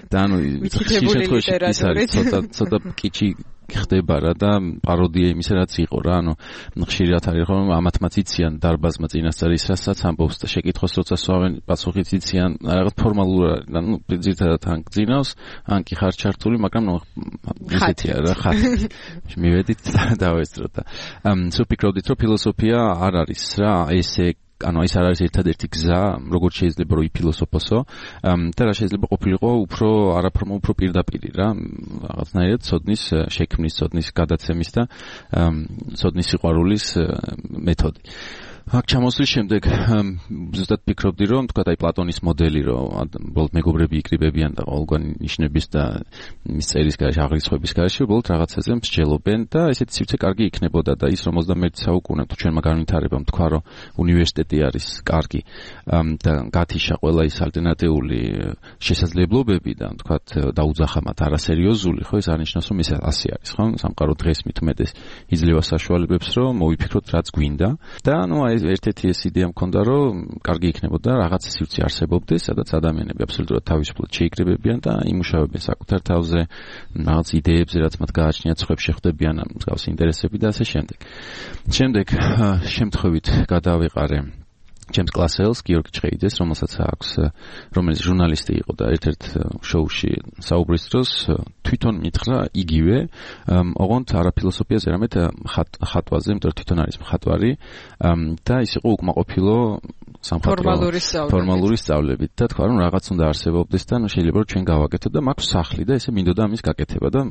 და ანუ შემთხვევაში ის არის ცოტა კიჩი ხდება რა და პაროდია იმისა რაც იყო რა, ანუ ხშირად არის რომ ამათმაც იციან დარბაზმა წინასწარ ის რასაც ამბობს და შეკითხოს როცა სვავენ პასუხიც იციან რაღაც ფორმალურ არის, ანუ ძირითადად ან გძინავს, ან კი ხარ ჩართული, მაგრამ ისეთია რა ხათი. მივედით დავესწროთ და სუფიქრობდით რომ ფილოსოფია არ არის რა ესე ანუ ეს არ არის ერთადერთი გზა, როგორც შეიძლება რომ იფილოსოფოსო და რა შეიძლება ყოფილიყო უფრო არაფორმო უფრო პირდაპირი რა, რაღაცნაირად ცოდნის შექმნის, ცოდნის გადაცემის და ცოდნის სიყვარულის მეთოდი. აქ ჩამოსვლის შემდეგ ზუსტად ფიქრობდი რომ თქვა აი პლატონის მოდელი რომ უბრალოდ მეგობრები იკრიბებიან და ყოველგვარი ნიშნების და მის წერის გარშე აღრიცხვების გარშე უბრალოდ რაღაცაზე მსჯელობენ და ესეთი სივრცე კარგი იქნებოდა და ის რომ 21 საუკუნე თუ ჩვენმა განვითარებამ თქვა რომ უნივერსიტეტი არის კარგი და გათიშა ყველა ის ალტერნატიული შესაძლებლობები და თქვა დაუძახა მათ არასერიოზული, ხო ეს არნიშნავს რომ ეს ასე არის, ხო? სამყარო დღეს მით უმეტეს იძლევა საშუალებებს რომ მოვიფიქროთ რაც გვინდა და ანუ ერთ-ერთი ეს იდეა მქონდა რომ კარგი იქნებოდა რაღაც სივრცე არსებობდეს, სადაც ადამიანები აბსოლუტურად თავისუფლად შეიკრიბებიან და იმუშავებენ საკუთარ თავზე, რაღაც იდეებზე, რაც მათ გააჩნიათ, სხვებს შეხვდებიან მსგავსი ინტერესები და ასე შემდეგ. შემდეგ შემთხვევით გადავეყარე ჩემს კლასელს გიორგი ჭყეიძეს, რომელიც ჟურნალისტი იყო და ერთ-ერთ შოუში საუბრის დროს თვითონ მითხრა იგივე, ოღონდ არა ფილოსოფიაზე, არამედ ხატვაზე, იმიტომ რომ თვითონ არის მხატვარი და ის იყო უკმაყოფილო ფორმალური სწავლებით და თქვა რომ რაღაც უნდა არსებობდეს და შეიძლება რომ ჩვენ გავაკეთოთ და მაქვს სახლი და ესე მინდოდა ამის გაკეთება და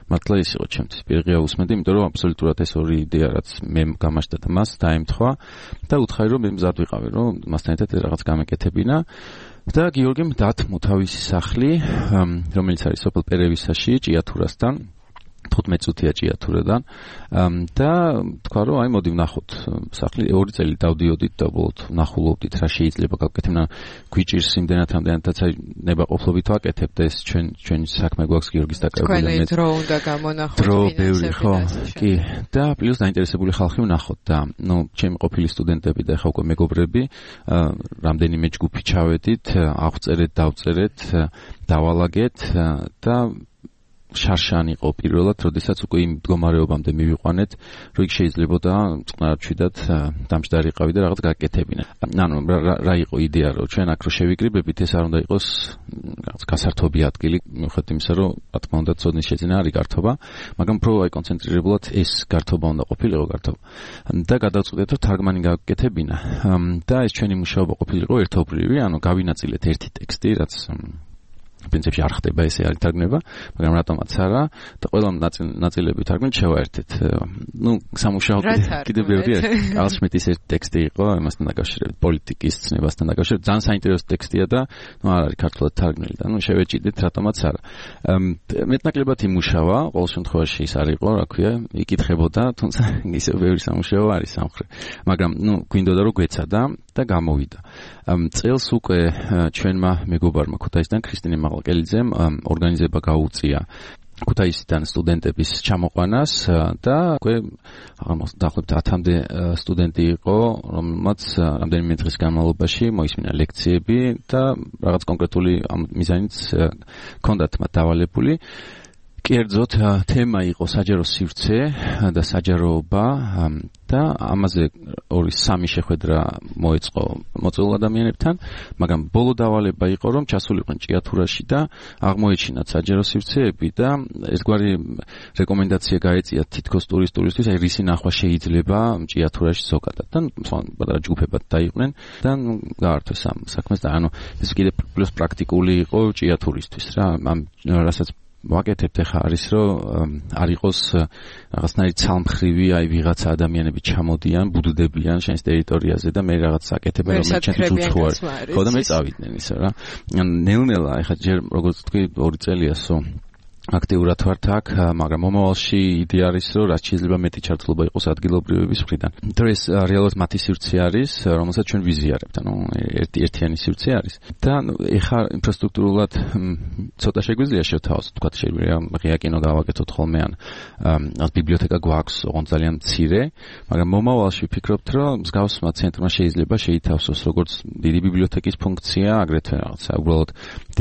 მართლა ის იყო ჩემთვის პირღია უსმენდი, იმიტომ რომ აბსოლუტურად ეს ორი იდეა რაც მე გამაჩნდა და მას დაემთხვა და უთხარი რომ მე მზად ვიყავი რომ მასთან ერთად რაღაც გამეკეთებინა და გიორგიმ დათმო თავისი სახლი, რომელიც არის სოფელ პერევისაში, ჭიათურასთან 15 წუთია ჭიათურიდან და თქვა რომ აი მოდი ვნახოთ სახლი, 2 წელი დავდიოდით და უბრალოდ ვნახულობდით რა შეიძლება გავკეთებინა, გვიჭირს იმდენად რამდენადაც აი ნებაყოფლობით ვაკეთებ და ეს ჩვენი საქმე გვაქვს გიორგის დაკავებული მე დრო უნდა გამონახოთ დრო ბევრი ხო კი და პლუს დაინტერესებული ხალხი ვნახოთ და ნუ ჩემი ყოფილი სტუდენტები და ახლა უკვე მეგობრები რამდენიმე ჯგუფი ჩავედით, აღვწერეთ, დავწერეთ, დავალაგეთ და შარშანი იყო პირველად, როდესაც უკვე იმ მდგომარეობამდე მივიყვანეთ, რომ იქ შეიძლებოდა წყნარ ჩვიდად დამჯდარიყავი და რაღაც გაკეთებინა. ანუ რა იყო იდეა, რომ ჩვენ აქ რო შევიკრიბებით, ეს არ უნდა იყოს რაღაც გასართობი ადგილი, მიუხედავად იმისა, რომ რა თქმა უნდა ცოდნის შეძენა არის გართობა, მაგრამ უფრო აი კონცენტრირებულად ეს გართობა უნდა ყოფილიყო გართობა. და გადავწყვიტეთ, რომ თარგმანი გაკეთებინა და ეს ჩვენი მუშაობა ყოფილიყო ერთობლივი, ანუ გავინაწილეთ ერთი ტექსტი, რაც პრინციპში არ ხდება ესე არ ითარგმნება, მაგრამ რატომაც არა და ყველა ნაწილები თარგმნით შევაერთეთ. სამუშაო კიდევ ბევრი არის. კარლ შმიტის ერთ ტექსტი იყო იმასთან დაკავშირებით, პოლიტიკის ცნებასთან დაკავშირებით. ძალიან საინტერესო ტექსტია და არ არის ქართულად თარგმნილი და შევეჭიდეთ რატომაც არა. მეტნაკლებად იმუშავა, ყოველ შემთხვევაში ის არ იყო, რა ქვია, იკითხებოდა, თუმცა ისევ ბევრი სამუშაო არის სამხრეთ. მაგრამ გვინდოდა რომ გვეცადა და გამოვიდა. წელს უკვე ჩვენმა მეგობარმა ქუთაისიდან ქრისტინე მაღალკელიძემ ორგანიზება გაუწია ქუთაისიდან სტუდენტების ჩამოყვანას და უკვე დაახლოებით 10-მდე სტუდენტი იყო, რომელმაც რამდენიმე დღის განმავლობაში მოისმინა ლექციები და რაღაც კონკრეტული მიზანიც ჰქონდათ მათ დავალებული. კერძოდ თემა იყო საჯარო სივრცე და საჯაროობა და ამაზე 2-3 შეხვედრა მოეწყო მოწვეულ ადამიანებთან, მაგრამ ბოლო დავალება იყო, რომ ჩასულიყვნენ ჭიათურაში და აღმოეჩინათ საჯარო სივრცეები და ერთგვარი რეკომენდაცია გაეწიათ თითქოს ტურისტულისთვის, აი რისი ნახვა შეიძლება ჭიათურაში ზოგადად და პატარა ჯგუფებად დაიყვნენ და გაართვეს ამ საქმეს და ეს კიდე პლუს პრაქტიკული იყო ჭიათურისთვის რა, ამ რასაც ვაკეთებთ ახლა არის რომ არ იყოს რაღაცნაირი ცალმხრივი აი ვიღაცა ადამიანები ჩამოდიან, ბუდდებიან შენს ტერიტორიაზე და მე რაღაც აკეთებენ რომ ჩემთვის უცხოა. ხო და მე წავიდნენ ისე რა. ნელ-ნელა ახლა ჯერ როგორც თქვი 2 წელიასო აქტიურად ვართ აქ, მაგრამ მომავალში იდეა არის რომ რაც შეიძლება მეტი ჩართულობა იყოს ადგილობრივების მხრიდან. ეს რეალურად მათი სივრცე არის, რომელსაც ჩვენ ვიზიარებთ, ანუ ერთიანი სივრცე არის. და ეხლა ინფრასტრუქტურულად ცოტა შეგვიძლია შევთავაზოთ, თქვა შეგვიძლია ღია კინო გავაკეთოთ ხოლმე ან ბიბლიოთეკა გვაქვს, ოღონდ ძალიან მცირე, მაგრამ მომავალში ვფიქრობთ რომ მსგავსმა ცენტრმა შეიძლება შეითავსოს როგორც დიდი ბიბლიოთეკის ფუნქცია, აგრეთვე რაღაცა უბრალოდ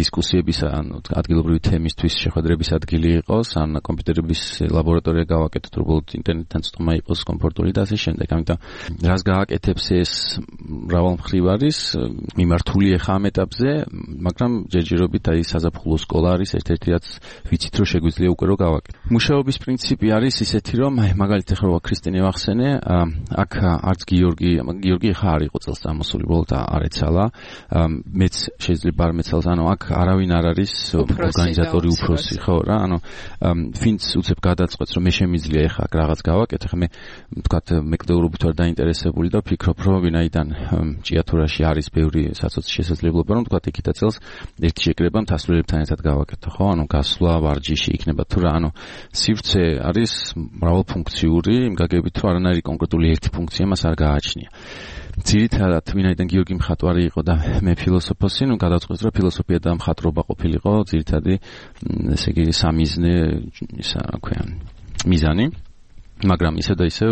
დისკუსიების ან ადგილობრივი თემისთვის შეხვედრების ადგილი იყოს, ან კომპიუტერების ლაბორატორია გავაკეთოთ, უბრალოდ ინტერნეტთან წვდომა იყოს კომფორტული და ასე შემდეგ. ამიტომ რას გააკეთებს ეს მრავალმხრივ არის, მიმართული ახლა ამ ეტაპზე, მაგრამ ჯერჯერობით აი საზაფხულო სკოლა არის ერთ-ერთი რაც ვიცით რომ შეგვიძლია უკვე რომ გავაკეთოთ. მუშაობის პრინციპი არის ისეთი რომ აი მაგალითად ახლა ქრისტინე ვახსენე, აქ არც გიორგი ახლა არ იყო წელს წამოსული, უბრალოდ არ ეცალა. მეც შეიძლება არ მეცალს, ანუ აქ არავინ არ არის ორგანიზატორი უფროსი, ხო რა, ანუ ვინც უცებ გადაწყვეტს რომ მე შემიძლია ახლა აქ რაღაც გავაკეთე, ხა მე ვთქვათ მეკვლეურობით ვარ დაინტერესებული და ვფიქრობ რომ ვინაიდან ჭიათურაში არის ბევრი საცოცხლო შესაძლებლობა რომ ვთქვათ იქითა წელს ერთი შეკრება მთასწორებთან ერთად გავაკეთო, ხო, ანუ გასვლა ვარჯიში იქნება თუ რა, ანუ სივრცე არის მრავალფუნქციური, იმ გაგებით რომ არანაირი კონკრეტული ერთი ფუნქცია მას არ გააჩნია. ძირითადად ვინაიდან გიორგი მხატვარი იყო და მე ფილოსოფოსი, ნუ გადავწყვეტ რომ ფილოსოფია და მხატვრობა ყოფილიყო ძირითადი ესე იგი სამიზნე ისა რა ქვია მიზანი, მაგრამ ისე და ისე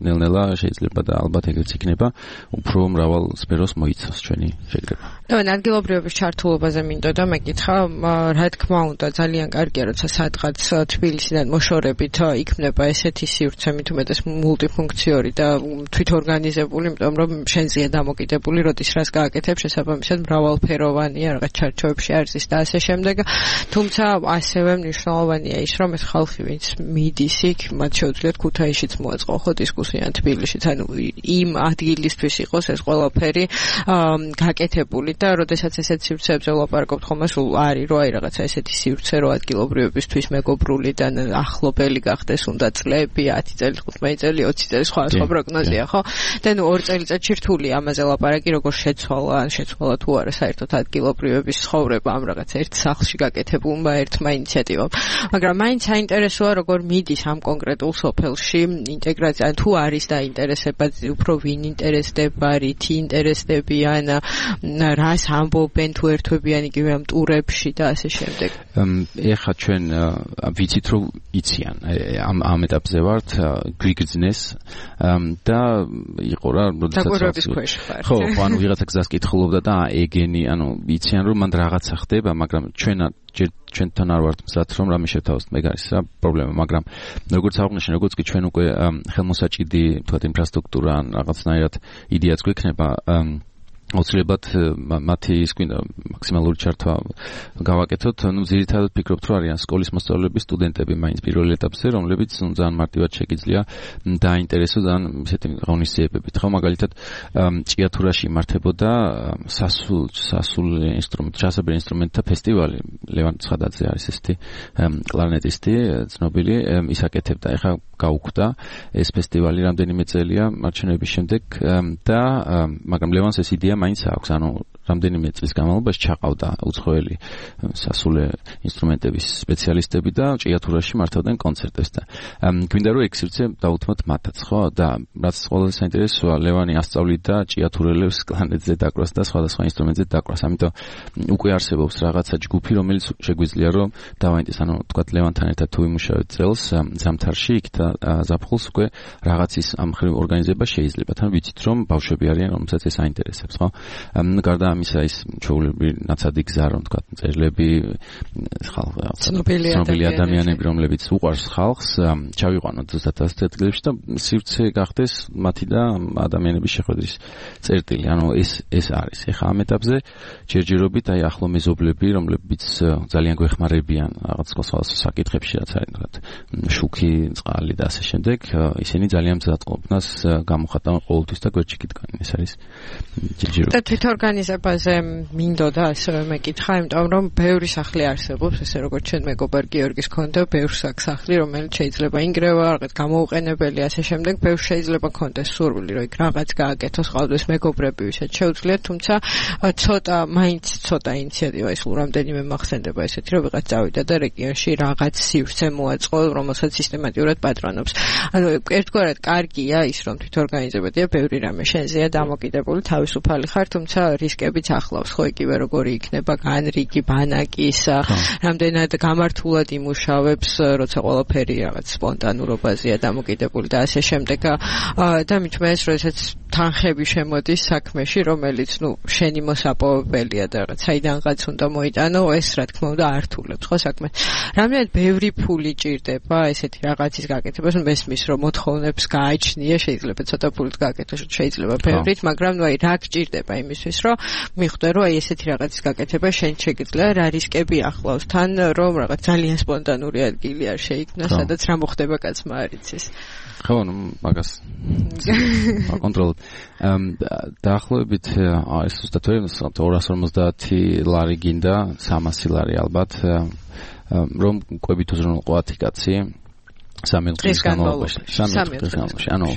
ნელ-ნელა შეიძლება და ალბათ ეგრეც იქნება უფრო მრავალ სფეროს მოიცავს ჩვენი შეკრება. ადგილობრივების ჩართულობაზე მინდოდა მეკითხა, რა თქმა უნდა ძალიან კარგია როცა სადღაც თბილისიდან მოშორებით იქნება ესეთი სივრცე მით უმეტეს მულტიფუნქციური და თვითორგანიზებული, იმიტომ რომ შენზეა დამოკიდებული, როდის რას გააკეთებ, შესაბამისად მრავალფეროვანია, რაღაც ჩარჩოებში არის და ასე შემდეგ. თუმცა ასევე მნიშვნელოვანია ის, რომ ეს ხალხი ვინც მიდის იქ, მათ შეუძლიათ ქუთაისშიც მოეწყო ხო დისკუსია თბილისშიც, ანუ იმ ადგილისთვის იყოს ეს ყველაფერი გაკეთებული და როდესაც ესეთ სივრცეებზე ვლაპარაკობთ ხოლმე სულ არის რომ აი რაღაცა ესეთი სივრცე რო ადგილობრივებისთვის მეგობრული და ახლობელი გახდეს უნდა წლები 10 წელი 15 წელი 20 წელი სხვა პროგნოზია ხო და ნუ 2 წელიწადში რთულია ამაზე ლაპარაკი როგორ შეცვალა თუ არა საერთოდ ადგილობრივების ცხოვრება ამ რაღაც ერთ სახლში გაკეთებულმა ერთმა ინიციატივამ, მაგრამ მაინც საინტერესოა როგორ მიდის ამ კონკრეტულ სოფელში ინტეგრაცია, თუ არის დაინტერესება უფრო ვინ ინტერესდება, რითი ინტერესდებიან, რას ამბობენ თუ ერთვებიან იგივე ამ ტურებში და ასე შემდეგ. ეხლა ჩვენ ვიცით რომ იციან ამ ეტაპზე ვართ, გვიგრძნეს და იყო რა როდესაც ხო, ანუ ვიღაცა გზას კითხულობდა და ეგენი, ანუ იციან რომ მანდ რაღაცა ხდება, მაგრამ ჩვენთან არ ვართ მზად რომ რამე შევთავაზოთ, მე არის რა პრობლემა, მაგრამ როგორც აღვნიშნე, როგორც კი ჩვენ უკვე ხელმოსაჭიდი თქვათ ინფრასტრუქტურა ან რაღაცნაირად იდეაც გვექნება აუცილებლად მათი ის გვინდა მაქსიმალური ჩართვა გავაკეთოთ. ძირითადად ფიქრობთ, რომ არიან სკოლის მოსწავლეები, სტუდენტები მაინც პირველ ეტაპზე, რომლებიც ძალიან მარტივად შეგიძლია დაინტერესოს ძალიან ისეთი ღონისძიებებით. ხო, მაგალითად, ჭიათურაში იმართებოდა სასულე ინსტრუმენტ, ჯაზებრივ ინსტრუმენტთა ფესტივალი. ლევან ცხადაძე არის ესეთი კლარნეტისტი, ცნობილი, ის აკეთებდა. ეხლა გაუკვდა ეს ფესტივალი რამდენიმე წელია მარჩენების შემდეგ და მაგრამ ლევანს ეს იდეა მაინც აქვს, ანუ რამდენიმე წლის განმავლობაში ჩაყავდა უცხოელი სასულე ინსტრუმენტების სპეციალისტები და ჭიათურაში მართავდნენ კონცერტებს და გვინდა რომ ექსერცია დაუთმოთ მათაც, ხო? და რაც ყველაზე საინტერესოა, ლევანი ასწავლიდა ჭიათურელებს კლარნეტზე დაკვრას და სხვადასხვა ინსტრუმენტზე დაკვრას. ამიტომ უკვე არსებობს რაღაცა ჯგუფი, რომელიც შეგვიძლია რომ დავაინტერესოს, ანუ თქვა ლევანთან ერთად თუ იმუშავეთ წელს ზამთარში იქ და ზაფხულს უკვე რაღაც ის ამ ხრივ ორგანიზება შეიძლება. თან ვიცით რომ ბავშვები არიან, რომელსაც ეს აინტერესებს, ხო? გარდა ამისა ის ჩვეულებრივი ნაცადი გზა, რომ თქვა წერილები, ცნობილი ადამიანები, რომლებიც უყვარს ხალხს, ჩავიყვანოთ ზუსტად ასეთ ადგილებში და სივრცე გახდეს მათი და ადამიანების შეხვედრის წერტილი. ანუ ეს არის. ეხლა ამ ეტაპზე ჯერჯერობით აი ახლო მეზობლები, რომლებიც ძალიან გვეხმარებიან რაღაც სხვადასხვა საკითხებში, რაც არის თქვა შუქი, წყალი და ასე შემდეგ, ისინი ძალიან მზად ყოფნას გამოხატავენ ყოველთვის და გვერდში გიდგნენ. ეს არის ჯერჯერობით. და თვითორგანიზებაზე მინდოდა ასევე მეკითხა, იმიტომ რომ ბევრი სახლი არსებობს, ესე როგორც ჩვენ მეგობარ გიორგის ქონდა, ბევრი სახლი, რომელიც შეიძლება ინგრევა, რაღაც გამოუყენებელი, ასე შემდეგ, ბევრი შეიძლება ქონდეს სურვილი, რომ იქ რაღაც გააკეთოს, ყავდეს მეგობრები, ვისაც შეუძლიათ, თუმცა მაინც ცოტა ინიციატივა ის რამდენიმე მახსენდება ესეთი, რომ ვიღაც წავიდა და რეგიონში რაღაც სივრცე მოაწყო, რომელსაც სისტემატურად პატრონობს. ანუ ერთგვარად კარგია ის, რომ თვითორგანიზებადია, ბევრი რამე შენზეა დამოკიდებული, თავისუფალი ხარ, თუმცა რისკებიც ახლავს, ხო, იგივე როგორი იქნება განრიგი ბანაკის, რამდენად გამართულად იმუშავებს, როცა ყველაფერი რაღაც სპონტანურობაზეა დამოკიდებული და ასე შემდეგ. და მithumetes, როდესაც თანხები შემოდის საქმეში, რომელიც, შენი მოსაპოვებელია და რაღაც საიდანღაც უნდა მოიტანო, ეს რა თქმა უნდა ართულებს, ხო, საქმეს. რამდენად ბევრი ფული ჭირდება ესეთი რაღაცის გაკეთებას, მესმის, რომ მოთხოვნებს გააჩნია, შეიძლება ცოტა ფულით გააკეთოს, შეიძლება ბევრით, მაგრამ აი რა გჭირდება იმისთვის, რომ მიხვდე, რომ აი ესეთი რაღაცის გაკეთება შენ შეგიძლია, რა რისკები ახლავს თან, რომ რაღაც ძალიან სპონტანური ადგილი არ შეიქმნა, სადაც რა მოხდება კაცმა არ იცის. ხო, მაგას აკონტროლებ. დაახლოებით ეს ზუსტად 250 ლარი გინდა, 300 ლარი ალბათ, რომ ყვებით უზრუნველყო კაცი 3 დღის განმავლობაში. ანუ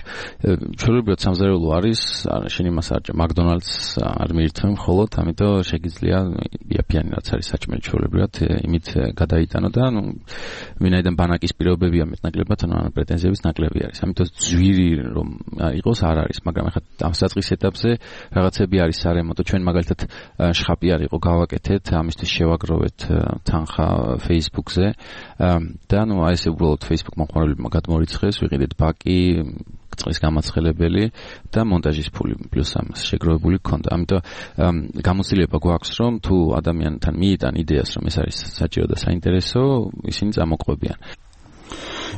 ჩვეულებრივად სამზარეულო არის, შენ იმას არ ჭა მაკდონალდს არ მიირთმევ მხოლოდ, ამიტომ შეგიძლია იაფიანი რაც არის საჭმელი ჩვეულებრივად იმით გადაიტანო და ვინაიდან ბანაკის პირობებია მეტნაკლებად, ანუ პრეტენზიების ნაკლები არის. ამიტომ ძვირი რომ იყოს არ არის, მაგრამ ახლა ამ საწყის ეტაპზე რაღაცები არის სარემონტო. ჩვენ მაგალითად შხაპი არ იყო გავაკეთეთ, ამისთვის შევაგროვეთ თანხა Facebook-ზე და აი ესე უბრალოდ Facebook მოხმარებლებმა გადმორიცხეს, ვიყიდეთ ბაკი, წყლის გამაცხელებელი და მონტაჟის ფული პლუს ამას შეგროვებული გქონდა. ამიტომ გამოცდილება გვაქვს, რომ თუ ადამიანთან მიიტან იდეას, რომ ეს არის საჭირო და საინტერესო, ისინი წამოყვებიან.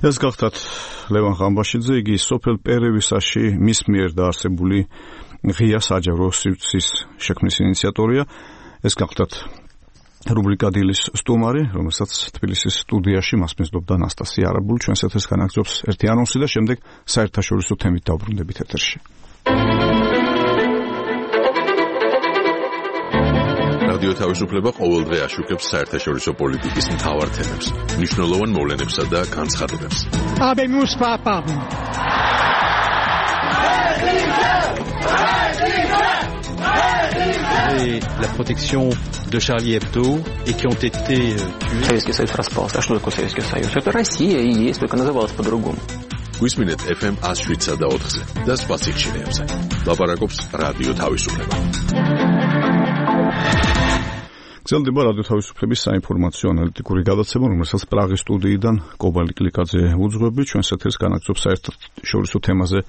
ეს გახდათ ლევან ხამბაშიძე, იგი სოფელ პერევისაში მის მიერ დაარსებული ღია საჯარო სივრცის შექმნის ინიციატორია. ეს გახდათ რუბრიკა დილის სტუმარი, რომელსაც თბილისის სტუდიაში მასპინძლობდა ანასტასია არაბული. ჩვენს ეთერს განაგრძობს ერთი ანონსი და შემდეგ საერთაშორისო თემით დავბრუნდებით ეთერში. რადიო თავისუფლება ყოველდღე აშუქებს საერთაშორისო პოლიტიკის მთავარ თემებს, მნიშვნელოვან მოვლენებსა და განცხადებებს. Habemos papa. Et la protection de Charlie Hebdo et qui ont été tués. Советский Союз распался. А что такое Советский Союз? Это Россия и есть, только называлась по-другому. Გვისმინეთ FM 107 და 4-ზე და სხვა სიჩქარეებზე. ლაპარაკობს რადიო თავისუფლება. გრძელდება რადიო თავისუფლების საინფორმაციო ანალიტიკური გადაცემა, რომელსაც პრაღის სტუდიიდან კობალი კლიკაძე უძღვები. ჩვენს ეთერს განაგრძობს საერთაშორისო თემაზე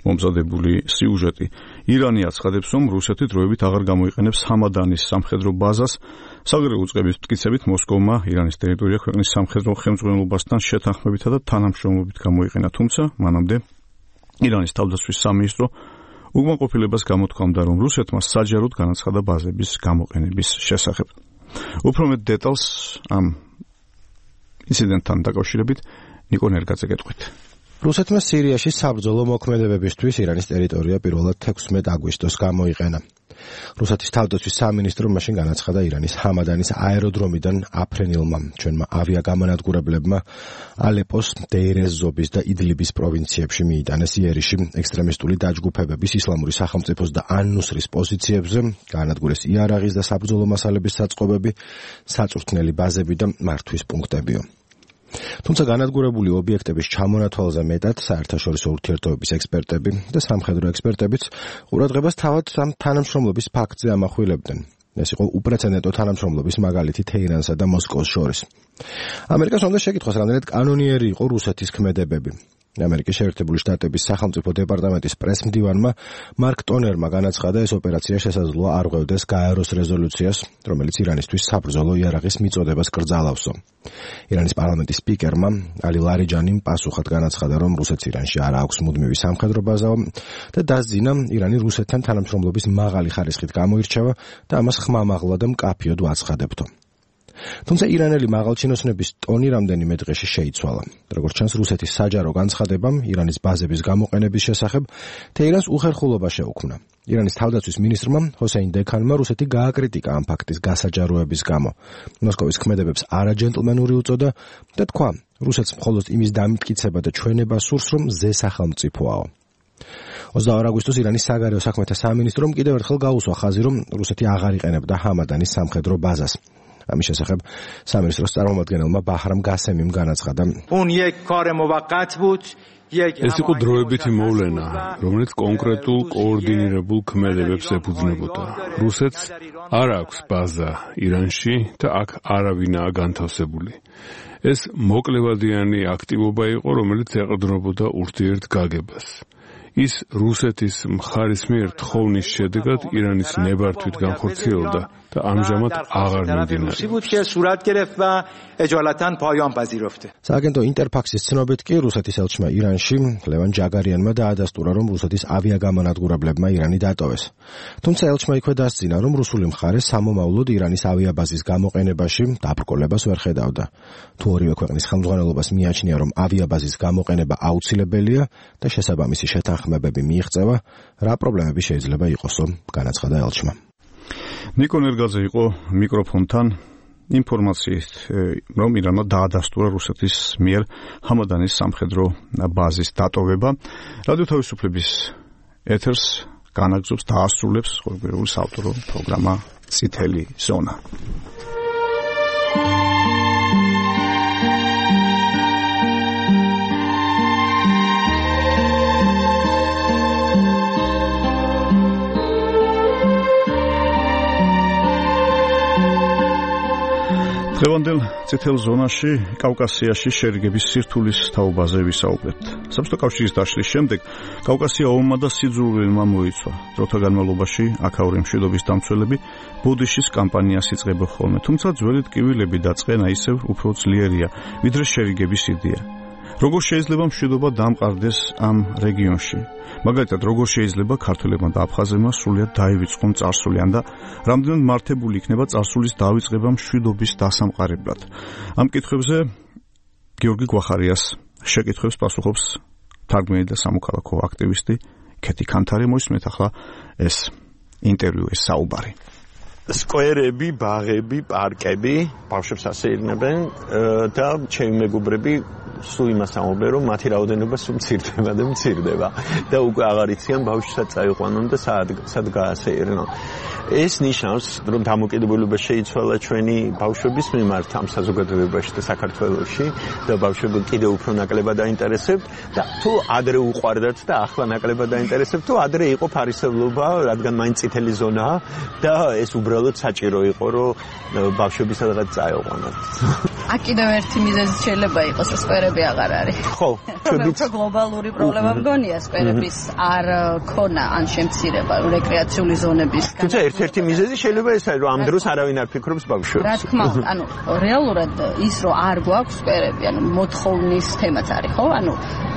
მომზადებული სიუჟეტი. ირანი აცხადებს, რომ რუსეთი დროებით აღარ გამოიყენებს ჰამადანის სამხედრო ბაზას. საგარეო უწყების მტკიცებით მოსკოვმა ირანის ტერიტორია ქვეყნის სამხედრო ხელმძღვანელობასთან შეთანხმებითა და თანამშრომლობით გამოიყენა, თუმცა მანამდე ირანის თავდაცვის სამინისტრო უკმაყოფილებას გამოთქვამდა, რომ რუსეთმა საჯაროდ განაცხადა ბაზების გამოყენების შესახებ. უფრო მეტ დეტალს ამ ინციდენტთან დაკავშირებით ნიკო ნერგაძე გეტყვით. რუსეთმა სირიაში საბრძოლო მოქმედებებისთვის ირანის ტერიტორია პირველად 16 აგვისტოს გამოიყენა. რუსეთის თავდაცვის სამინისტრო მაშინ განაცხადა ირანის ჰამადანის აეროდრომიდან აფრენილმა ჩვენმა ავიაგამონადგურებლებმა ალეპოს, დეირ-ეს-ზობის და იდლიბის პროვინციებში მიიტანეს იერიში ექსტრემისტული დაჯგუფებების ისლამური სახელმწიფოს და ან-ნუსრის პოზიციებზე, განადგურეს იარაღის და საბრძოლო მასალების საწყობები, საწვრთნელი ბაზები და მართვის პუნქტებიო. თუმცა განადგურებული ობიექტების ჩამონათვალზე მეტად საერთაშორისო ურთიერთობების ექსპერტები და სამხედრო ექსპერტებიც ყურადღებას თავად ამ თანამშრომლობის ფაქტზე ამახვილებდნენ. ეს იყო უპრეცედენტო თანამშრომლობის მაგალითი თეირანსა და მოსკოვს შორის. ამერიკას უნდა შეკითხვას, რამდენად კანონიერი იყო რუსეთის ქმედებები. ამერიკის შეერთებული შტატების სახელმწიფო დეპარტამენტის პრესმდივანმა მარკ ტონერმა განაცხადა, ეს ოპერაცია შესაძლოა არ ღვევდეს გაეროს რეზოლუციას, რომელიც ირანისთვის საბრძოლო იარაღის მიწოდებას კრძალავსო. ირანის პარლამენტის სპიკერმა ალი ლარიჯანიმ პასუხად განაცხადა, რომ რუსეთს ირანში არ აქვს მუდმივი სამხედრო ბაზა და დასძინა, ირანი რუსეთთან თანამშრომლობის მაღალი ხარისხით გამოირჩევა და ამას ხმამაღლა და მკაფიოდ ვაცხადებთო. თუმცა ირანელი მაღალჩინოსნების ტონი რამდენიმე დღეში შეიცვალა. როგორც ჩანს, რუსეთის საჯარო განცხადებამ ირანის ბაზების გამოყენების შესახებ თეირანს უხერხულობა შეუქმნა. ირანის თავდაცვის მინისტრმა ჰოსეინ დექანმა რუსეთი გააკრიტიკა ამ ფაქტის გასაჯაროების გამო. მოსკოვის ქმედებებს არაჯენტლმენური უწოდა და თქვა, რუსეთს მხოლოდ იმის დამტკიცება და ჩვენება სურს, რომ ზე სახელმწიფოაო. 22 აგვისტოს ირანის საგარეო საქმეთა სამინისტრომ კიდევ ერთხელ გაუსვა ხაზი, რომ რუსეთი აღარ იყენებდა ჰამადანის სამხედრო ბაზას. ამის შესახებ სამინისტროს წარმომადგენელმა ბაჰრამ გასემიმ განაცხადა, ეს იყო დროებითი მოვლენა, რომელიც კონკრეტულ კოორდინირებულ ქმედებებს ეფუძნებოდა. რუსეთს არ აქვს ბაზა ირანში და აქ არავინაა განთავსებული. ეს მოკლევადიანი აქტივობა იყო, რომელიც ეყრდნობოდა ურთიერთგაგებას. ის რუსეთის მხარის მიერ თხოვნის შედეგად ირანის ნებართვით განხორციელდა და ამჟამად აღარ მიმდინარეობს. სააგენტო ინტერფაქსის ცნობით კი რუსეთის ელჩმა ირანში ლევან ჯაგარიანმა დაადასტურა, რომ რუსეთის ავიაგამონადგურებლებმა ირანი დატოვეს. თუმცა ელჩმა იქვე დასძინა, რომ რუსული მხარე სამომავლოდ ირანის ავიაბაზის გამოყენებაში დაბრკოლებას ვერ ხედავდა. თუ ორივე ქვეყნის ხელმძღვანელობას მიაჩნია, რომ ავიაბაზის გამოყენება აუცილებელია და შესაბამისი შეთანხმებები მიიღწევა, რა პრობლემები შეიძლება იყოსო, განაცხადა ელჩმა. ნიკო ნერგაძე იყო მიკროფონთან ინფორმაციით, რომ ირანმა დაადასტურა რუსეთის მიერ ჰამადანის სამხედრო ბაზის დატოვება. რადიო თავისუფლების ეთერს განაგზობს და ასრულებს ყოველდღიური საავტორო პროგრამა წითელი ზონა. დღევანდელ წითელ ზონაში კავკასიაში შერიგების სირთულის თაობაზე ვისაუბრებთ. საბჭოთა კავშირის დაშლის შემდეგ კავკასია ომმა და სიძულვილმა მოიცვა. დროთა განმავლობაში აქაური მშვიდობის დამცველები ბოდიშის კამპანიას იწყებენ ხოლმე, თუმცა ძველი ტკივილები და წყენა ისევ უფრო ძლიერია, ვიდრე შერიგების იდეა. როგორ შეიძლება მშვიდობა დამყარდეს ამ რეგიონში? მაგალითად, როგორ შეიძლება ქართველებმა და აფხაზებმა სრულად დაივიწყონ წარსულიან და რამდენად მართებული იქნება წარსულის დავიწყება მშვიდობის დასამყარებლად? ამ კითხვებზე გიორგი გვახარიას შეკითხვებს პასუხობს თარგმნელი და სამოქალაქო აქტივისტი ქეთი ქანთარი. მოისმენთ ახლა ეს ინტერვიუ, ეს საუბარი. სკვერები, ბაღები, პარკები ბავშვებს ასეირნებენ და ჩემი მეგობრები სულ იმას ამბობენ, რომ მათი რაოდენობა სულ მცირდება და მცირდება და უკვე აღარ იციან ბავშვსაც წაიყვანონ და სად გაასეირნონ. ეს ნიშნავს, რომ დამოკიდებულება შეიცვალა ჩვენი ბავშვების მიმართ ამ საზოგადოებაში და საქართველოში და ბავშვები კიდევ უფრო ნაკლებად დაინტერესებთ და თუ ადრე უყვარდათ და ახლა ნაკლებად დაინტერესებთ, თუ ადრე იყო ფარისევლობა, რადგან მაინც წითელი ზონაა და ეს უბრალოდ საჭირო იყო, რომ ბავშვები სადღაც წაიყვანონ. აქ კიდევ ერთი მიზეზი შეიძლება იყოს, სკვერები აღარ არის. ხო, ჩვენც გლობალური პრობლემა მგონია სკვერების არ ქონა ან შემცირება რეკრეაციული ზონების. თუმცა ერთ-ერთი მიზეზი შეიძლება ეს არის, რომ ამ დროს არავინ არ ფიქრობს ბავშვებს. რა თქმა უნდა, ანუ რეალურად ის რომ არ გვაქვს სკვერები, ანუ მოთხოვნის თემაც არის, ხო? ანუ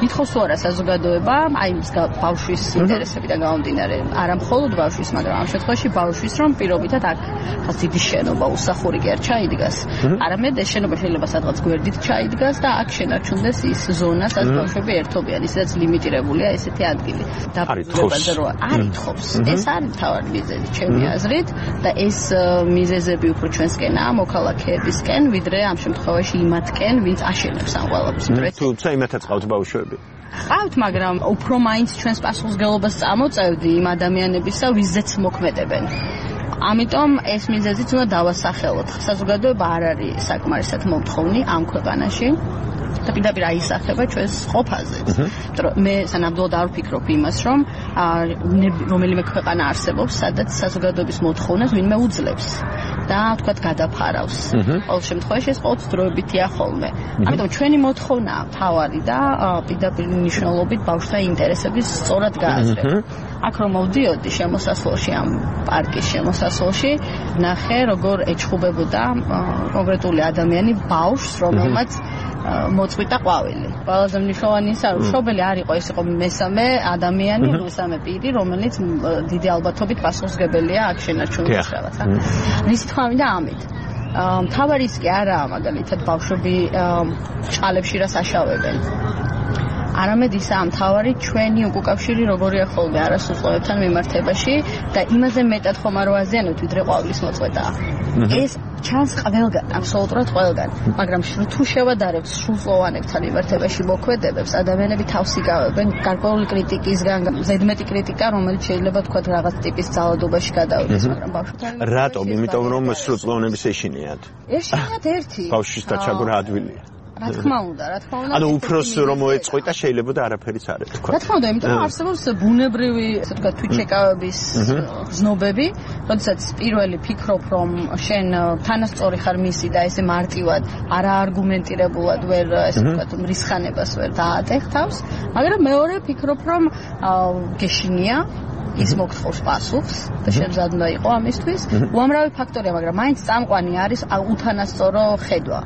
ითხოვს თუ არა საზოგადოება, აი ის ბავშვის ინტერესებიდან გამომდინარე, არა მხოლოდ ბავშვის, მაგრამ ამ შემთხვევაში ბავშვის რომ პირობითად აქ ხას დიდი შენობა უსახური კი არ ჩაიდგას. არამედ ეს შენობა შეიძლება სადღაც გვერდით ჩაიდგას და აქ შენარჩუნდეს ის ზონა, სადაც ბავშვები ერთობიან, ისედაც ლიმიტირებულია ესეთი ადგილი. დაფუძნებაზე რომ არ ითხოვს. ეს არის მთავარი მიზეზი ჩემი აზრით და ეს მიზეზები უფრო ჩვენსკენაა მოქალაქეებისკენ, ვიდრე ამ შემთხვევაში იმათკენ, ვინც აშენებს ამ ყველაფერს. თუმცა იმათაც ყავთ ბავშვები. ყავთ, მაგრამ უფრო მაინც ჩვენს პასუხისმგებლობას წამოწევდი იმ ადამიანებისა, ვიზეც მოქმედებენ. ამიტომ ეს მიზეზიც უნდა დავასახელოთ. საზოგადოება არ არის საკმარისად მომთხოვნი ამ ქვეყანაში. და პირდაპირ აისახება ჩვენს ყოფაზე. მე სანამდვილად არ ვფიქრობ იმას, რომ რომელიმე ქვეყანა არსებობს, სადაც საზოგადოების მოთხოვნას ვინმე უძლებს და თქვათ გადაფარავს. ყოველ შემთხვევაში ეს ყოველთვის დროებითია ხოლმე. ამიტომ ჩვენი მოთხოვნაა მთავარი და პირდაპირ მნიშვნელობით ბავშვთა ინტერესების სწორად გააზრება. აქ რომ მოვდიოდი შემოსასვლელში ამ პარკის შემოსასვლელში, ნახე როგორ ეჩხუბებოდა კონკრეტული ადამიანი ბავშვს, რომელმაც მოწყვიტა ყვავილი. ყველაზე მნიშვნელოვანი ის არის, მშობელი არ იყო, ეს იყო მესამე ადამიანი, მესამე პირი, რომელიც დიდი ალბათობით პასუხისმგებელია აქ შენარჩუნების რაღაცა. რის თქმა უნდა ამით. მთავარი ის კი არაა მაგალითად ბავშვები ჭყალებში რას აშავებენ. არამედ ისაა მთავარი ჩვენი უკავშირი როგორია ხოლმე არასრულწლოვანებთან მიმართებაში და იმაზე მეტად ხომ არ ვაზიანებთ, ვიდრე ყვავილის მოწყვეტაა. ეს ჩანს ყველგან, აბსოლუტურად ყველგან, მაგრამ თუ შევადარებთ სრულწლოვანებთან მიმართებაში მოქმედებებს, ადამიანები თავს იგავებენ გარკვეული კრიტიკისგან, ზედმეტი კრიტიკა, რომელიც შეიძლება თქვათ რაღაც ტიპის ძალადობაში გადავიდეს, მაგრამ ბავშვთან რატომ? იმიტომ რომ სრულწლოვანების ეშინიათ. ეშინიათ ერთი. ბავშვის დაჩაგვრა რა ადვილია. რა თქმა უნდა. ანუ უფროს რომ მოეწყვიტა შეიძლება და არაფერიც არ ეთქვა. რა თქმა უნდა, იმიტომ რომ არსებობს ბუნებრივი, ასე ვთქვათ, თვითშეკავების გზნობები, როდესაც პირველი ფიქრობ, რომ შენ თანასწორი ხარ მისი და ესე მარტივად, არაარგუმენტირებულად ვერ, ასე ვთქვათ, მრისხანებას ვერ დაატეხ თავს, მაგრამ მეორე ფიქრობ, რომ გეშინია ის მოგთხოვს პასუხს და შემზად უნდა იყო ამისთვის. უამრავი ფაქტორია, მაგრამ მაინც წამყვანი არის უთანასწორო ხედვა.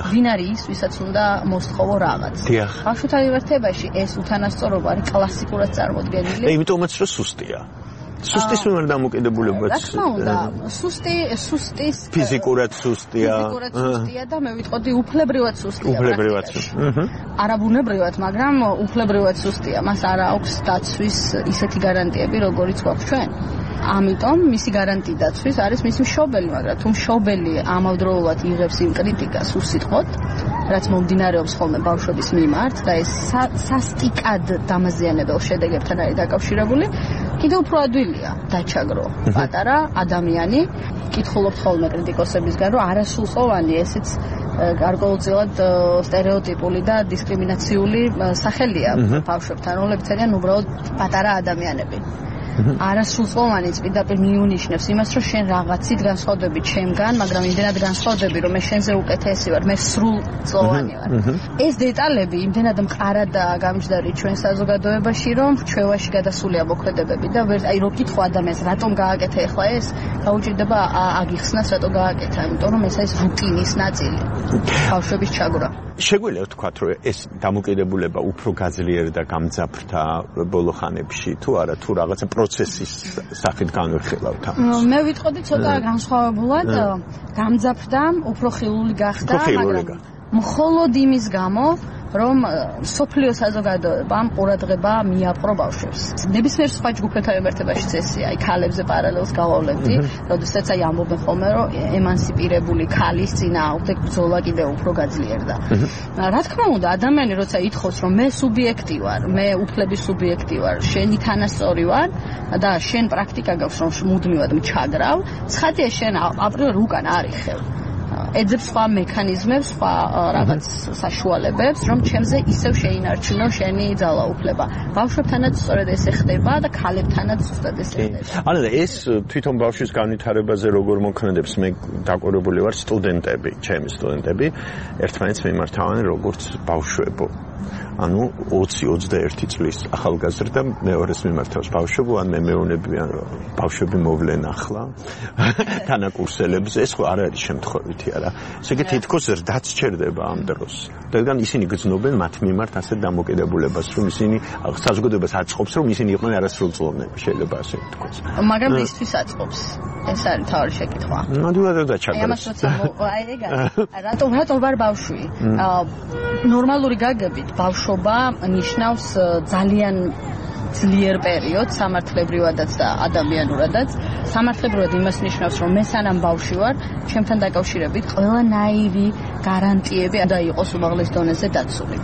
ვინ არის ის, ვისაც უნდა მოსთხოვო რაღაც. ბავშვთა მიმართებაში ეს უთანასწორობა არის კლასიკურად წარმოდგენილი. იმიტომაც რომ სუსტია. სუსტის მიმართ დამოკიდებულებაც. რა თქმა უნდა, სუსტის ფიზიკურად სუსტია. და მე ვიტყოდი უფლებრივად სუსტია. არაბუნებრივად, მაგრამ უფლებრივად სუსტია. მას არ აქვს დაცვის ისეთი გარანტიები, როგორიც გვაქვს ჩვენ. ამიტომ მისი გარანტი დაცვის არის მისი მშობელი, მაგრამ თუ მშობელი ამავდროულად იღებს იმ კრიტიკას უსიტყვოდ, რაც მომდინარეობს ხოლმე ბავშვების მიმართ და ეს სასტიკად დამაზიანებელ შედეგებთან არის დაკავშირებული, კიდევ უფრო ადვილია დაჩაგრო პატარა ადამიანი. კითხულობთ ხოლმე კრიტიკოსებისგან, რომ არასრულწლოვანი ესეც გარკვეულწილად სტერეოტიპული და დისკრიმინაციული სახელია ბავშვებთან, რომლებიც არიან უბრალოდ პატარა ადამიანები. არასრულწლოვანიც პირდაპირ მიუნიშნებს იმას, რომ შენ რაღაცით განსხვავდები ჩემგან, მაგრამ იმდენად განსხვავდები, რომ მე შენზე უკეთესი ვარ, მე სრულწლოვანი ვარ. ეს დეტალები იმდენად მყარადაა გამჯდარი ჩვენ საზოგადოებაში, რომ ჩვევაში გადასულია მოქმედებები და აი რო კითხო ადამიანს, რატომ გააკეთე ახლა ეს, გაუჭირდება აგიხსნას, რატომ გააკეთა, იმიტომ რომ ეს არის რუტინის ნაწილი. ბავშვების ჩაგვრა. შეგვიძლია ვთქვათ, რომ ეს დამოკიდებულება უფრო გაძლიერდა გამძაფრდა ბოლო ხანებში, თუ არა, თუ რაღაცა პროცესის სახით განვიხილავთ ამას. მე ვიტყოდი ცოტა განსხვავებულად, გამძაფრდა, უფრო ხილული გახდა, მაგრამ მხოლოდ იმის გამო, რომ სოფლიო საზოგადოებამ ყურადღება მიაპყრო ბავშვებს. ნებისმიერ სხვა ჯგუფებთან მიმართებაში წესია, აი ქალებზე პარალელს გავავლებდი, როდესაც აი ამბობენ ხოლმე, რომ ემანსიპირებული ქალის წინააღმდეგ ბრძოლა კიდევ უფრო გაძლიერდა. რა თქმა უნდა, ადამიანი როცა ითხოვს, რომ მე სუბიექტი ვარ, მე უფლების სუბიექტი ვარ, შენი თანასწორი ვარ და შენ პრაქტიკა გაქვს, რომ მუდმივად მჩაგრავ, ცხადია შენ აპრიორ უკან არ იხევ. ეძებს სხვა მექანიზმებს, სხვა რაღაც საშუალებებს, რომ ჩემზე ისევ შეინარჩუნო შენი ძალაუფლება. ბავშვებთანაც სწორედ ესე ხდება და ქალებთანაც ზუსტად ესე ხდება. ანუ ეს თვითონ ბავშვის განვითარებაზე როგორ მოქმედებს, მე დაკვირვებული ვარ სტუდენტები, ჩემი სტუდენტები, ერთმანეთს მიმართავენ როგორც ბავშვებო. ანუ 20-21 წლის ახალგაზრდა მეორეს მიმართავს ბავშვებო, ან მე მეუბნებიან რომ ბავშვები მოვლენ ახლა თანაკურსელებზე, ეს ხო არ არის შემთხვევითი არა. ესე იგი თითქოს რდაც ჩერდება ამ დროს. რადგან ისინი გრძნობენ მათ მიმართ ასეთ დამოკიდებულებას, რომ ისინი საზოგადოებას აწყობს, რომ ისინი იყვნენ არასრულწლოვნები, შეიძლება ასე ვთქვათ. მაგრამ ისთვის აწყობს. ეს არის თავი შეკითხვა. ნამდვილად დაჩაგრებს. ამას როცა რატომ ვარ ბავშვი? ნორმალური გაგებით ბავშვობა ნიშნავს ძალიან ძლიერ პერიოდს სამართლებრივადაც და ადამიანურადაც. სამართლებრივად იმას ნიშნავს, რომ მე სანამ ბავშვი ვარ, ჩემთან დაკავშირებით ყველანაირი გარანტიები უნდა იყოს უმაღლეს დონეზე დაცული.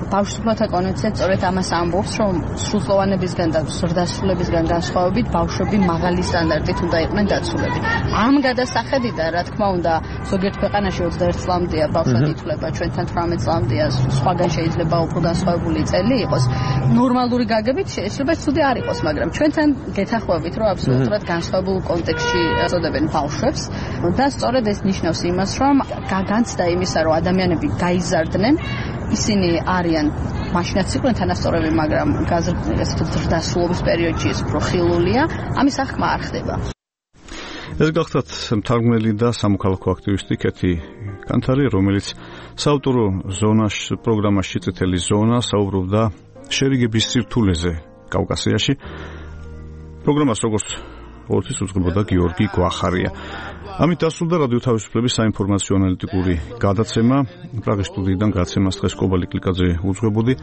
ბავშვთა კონვენცია სწორედ ამას ამბობს, რომ სრულწლოვანებისგან და ზრდასრულებისგან განსხვავებით ბავშვები მაღალი სტანდარტით უნდა იყვნენ დაცულები. ამ გადასახედიდან, რა თქმა უნდა, ზოგიერთ ქვეყანაში 21 წლამდეა ბავშვად ითვლება, ჩვენთან 18 წლამდეა, სხვაგან შეიძლება უფრო განსხვავებული წელი იყოს. ნორმალური გაგებით შეიძლება ცუდი არ იყოს, მაგრამ ჩვენთან გეთახვევით, რომ აბსოლუტურად განსხვავებულ კონტექსტში აწოდებენ ბავშვებს და სწორედ ეს ნიშნავს იმას, რომ განცდა იმისა, რომ ადამიანები გაიზარდნენ, ისინი არიან მაშინაც იყვნენ თანასწორები, მაგრამ ზრდასრულობის პერიოდში ეს უფრო ხილულია, ამის აღქმა არ ხდება. ეს გახლავთ მთარგმნელი და სამოქალაქო აქტივისტი კეთი კანთარი, რომელიც საავტორო ზონაში პროგრამაში წითელი ზონა საუბრობდა შერიგების სირთულეზე კავკასიაში. პროგრამას როგორც ყოველთვის უძღვებოდა გიორგი გვახარია. ამით დასრულდა რადიო თავისუფლების საინფორმაციო ანალიტიკური გადაცემა. პრაღის სტუდიიდან გადაცემას დღეს კობალი კლიკაძე უძღვებოდი.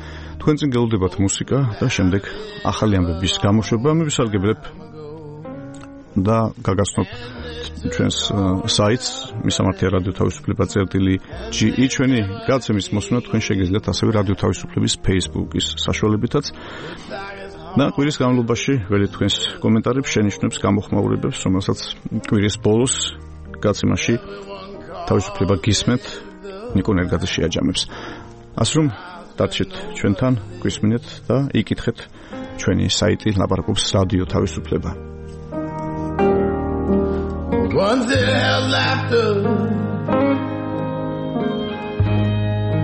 თქვენ წინ გელოდებათ მუსიკა და შემდეგ ახალი ამბების გამოშვება. მე ვისარგებლებ და გაგაცნობ ჩვენს საიტს მისამართია რადიო თავისუფლება.ge. ჩვენი გადაცემის მოსმენა თქვენ შეგიძლიათ ასევე რადიო თავისუფლების Facebook-ის საშუალებითაც. და კვირის განმავლობაში ველი თქვენს კომენტარებს, შენიშვნებს, გამოხმაურებებს, რომელსაც კვირის ბოლოს გადაცემაში თავისუფლება გისმენთ, ნიკო ნერგაძე შეაჯამებს. ასე რომ დარჩეთ ჩვენთან, გვისმინეთ და იკითხეთ ჩვენი საიტი ლაპარაკობს რადიო თავისუფლება. Once it held laughter,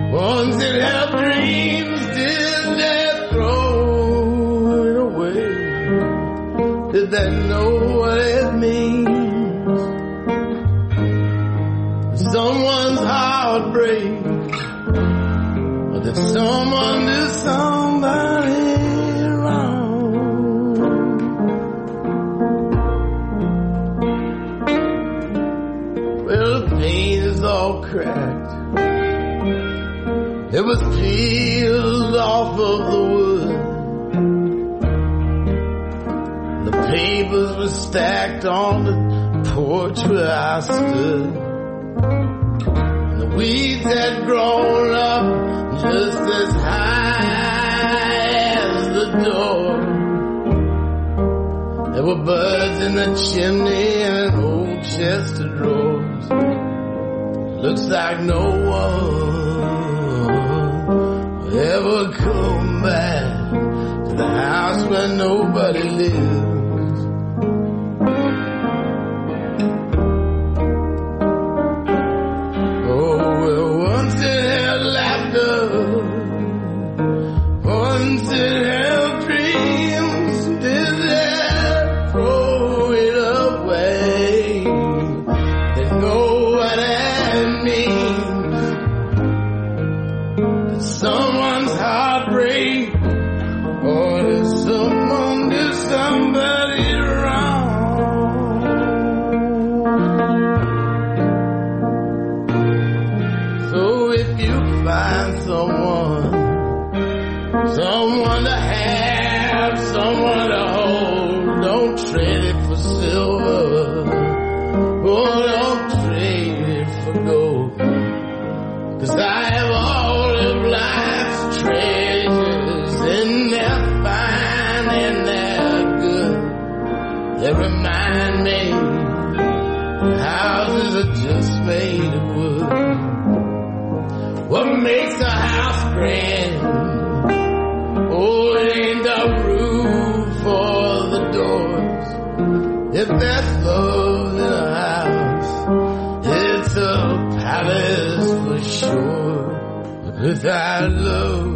once it held dreams, did they throw it away? Did they know what it means? Someone's heartbreak, or did someone do somebody wrong? Well, the paint is all cracked. It was peeled off of the wood. The papers were stacked on the porch where I stood. The weeds had grown up just as high as the door. There were birds in the chimney and an old chest of drawers. Looks like no one will ever come back to the house where nobody lives. Oh, well, once it had laughter, once it held dreams, did they throw it away? They know what that means. Did someone's heartbreak, or did someone do somebody wrong? So if you find someone to have, someone to hold, don't trade it for silver, oh, don't trade it for gold, 'cause I have all of life's treasures, and they're fine and they're good. They remind me that houses are just made of wood. grand. Oh, it ain't the roof or the doors. If that's love in a house, it's a palace for sure. Without love,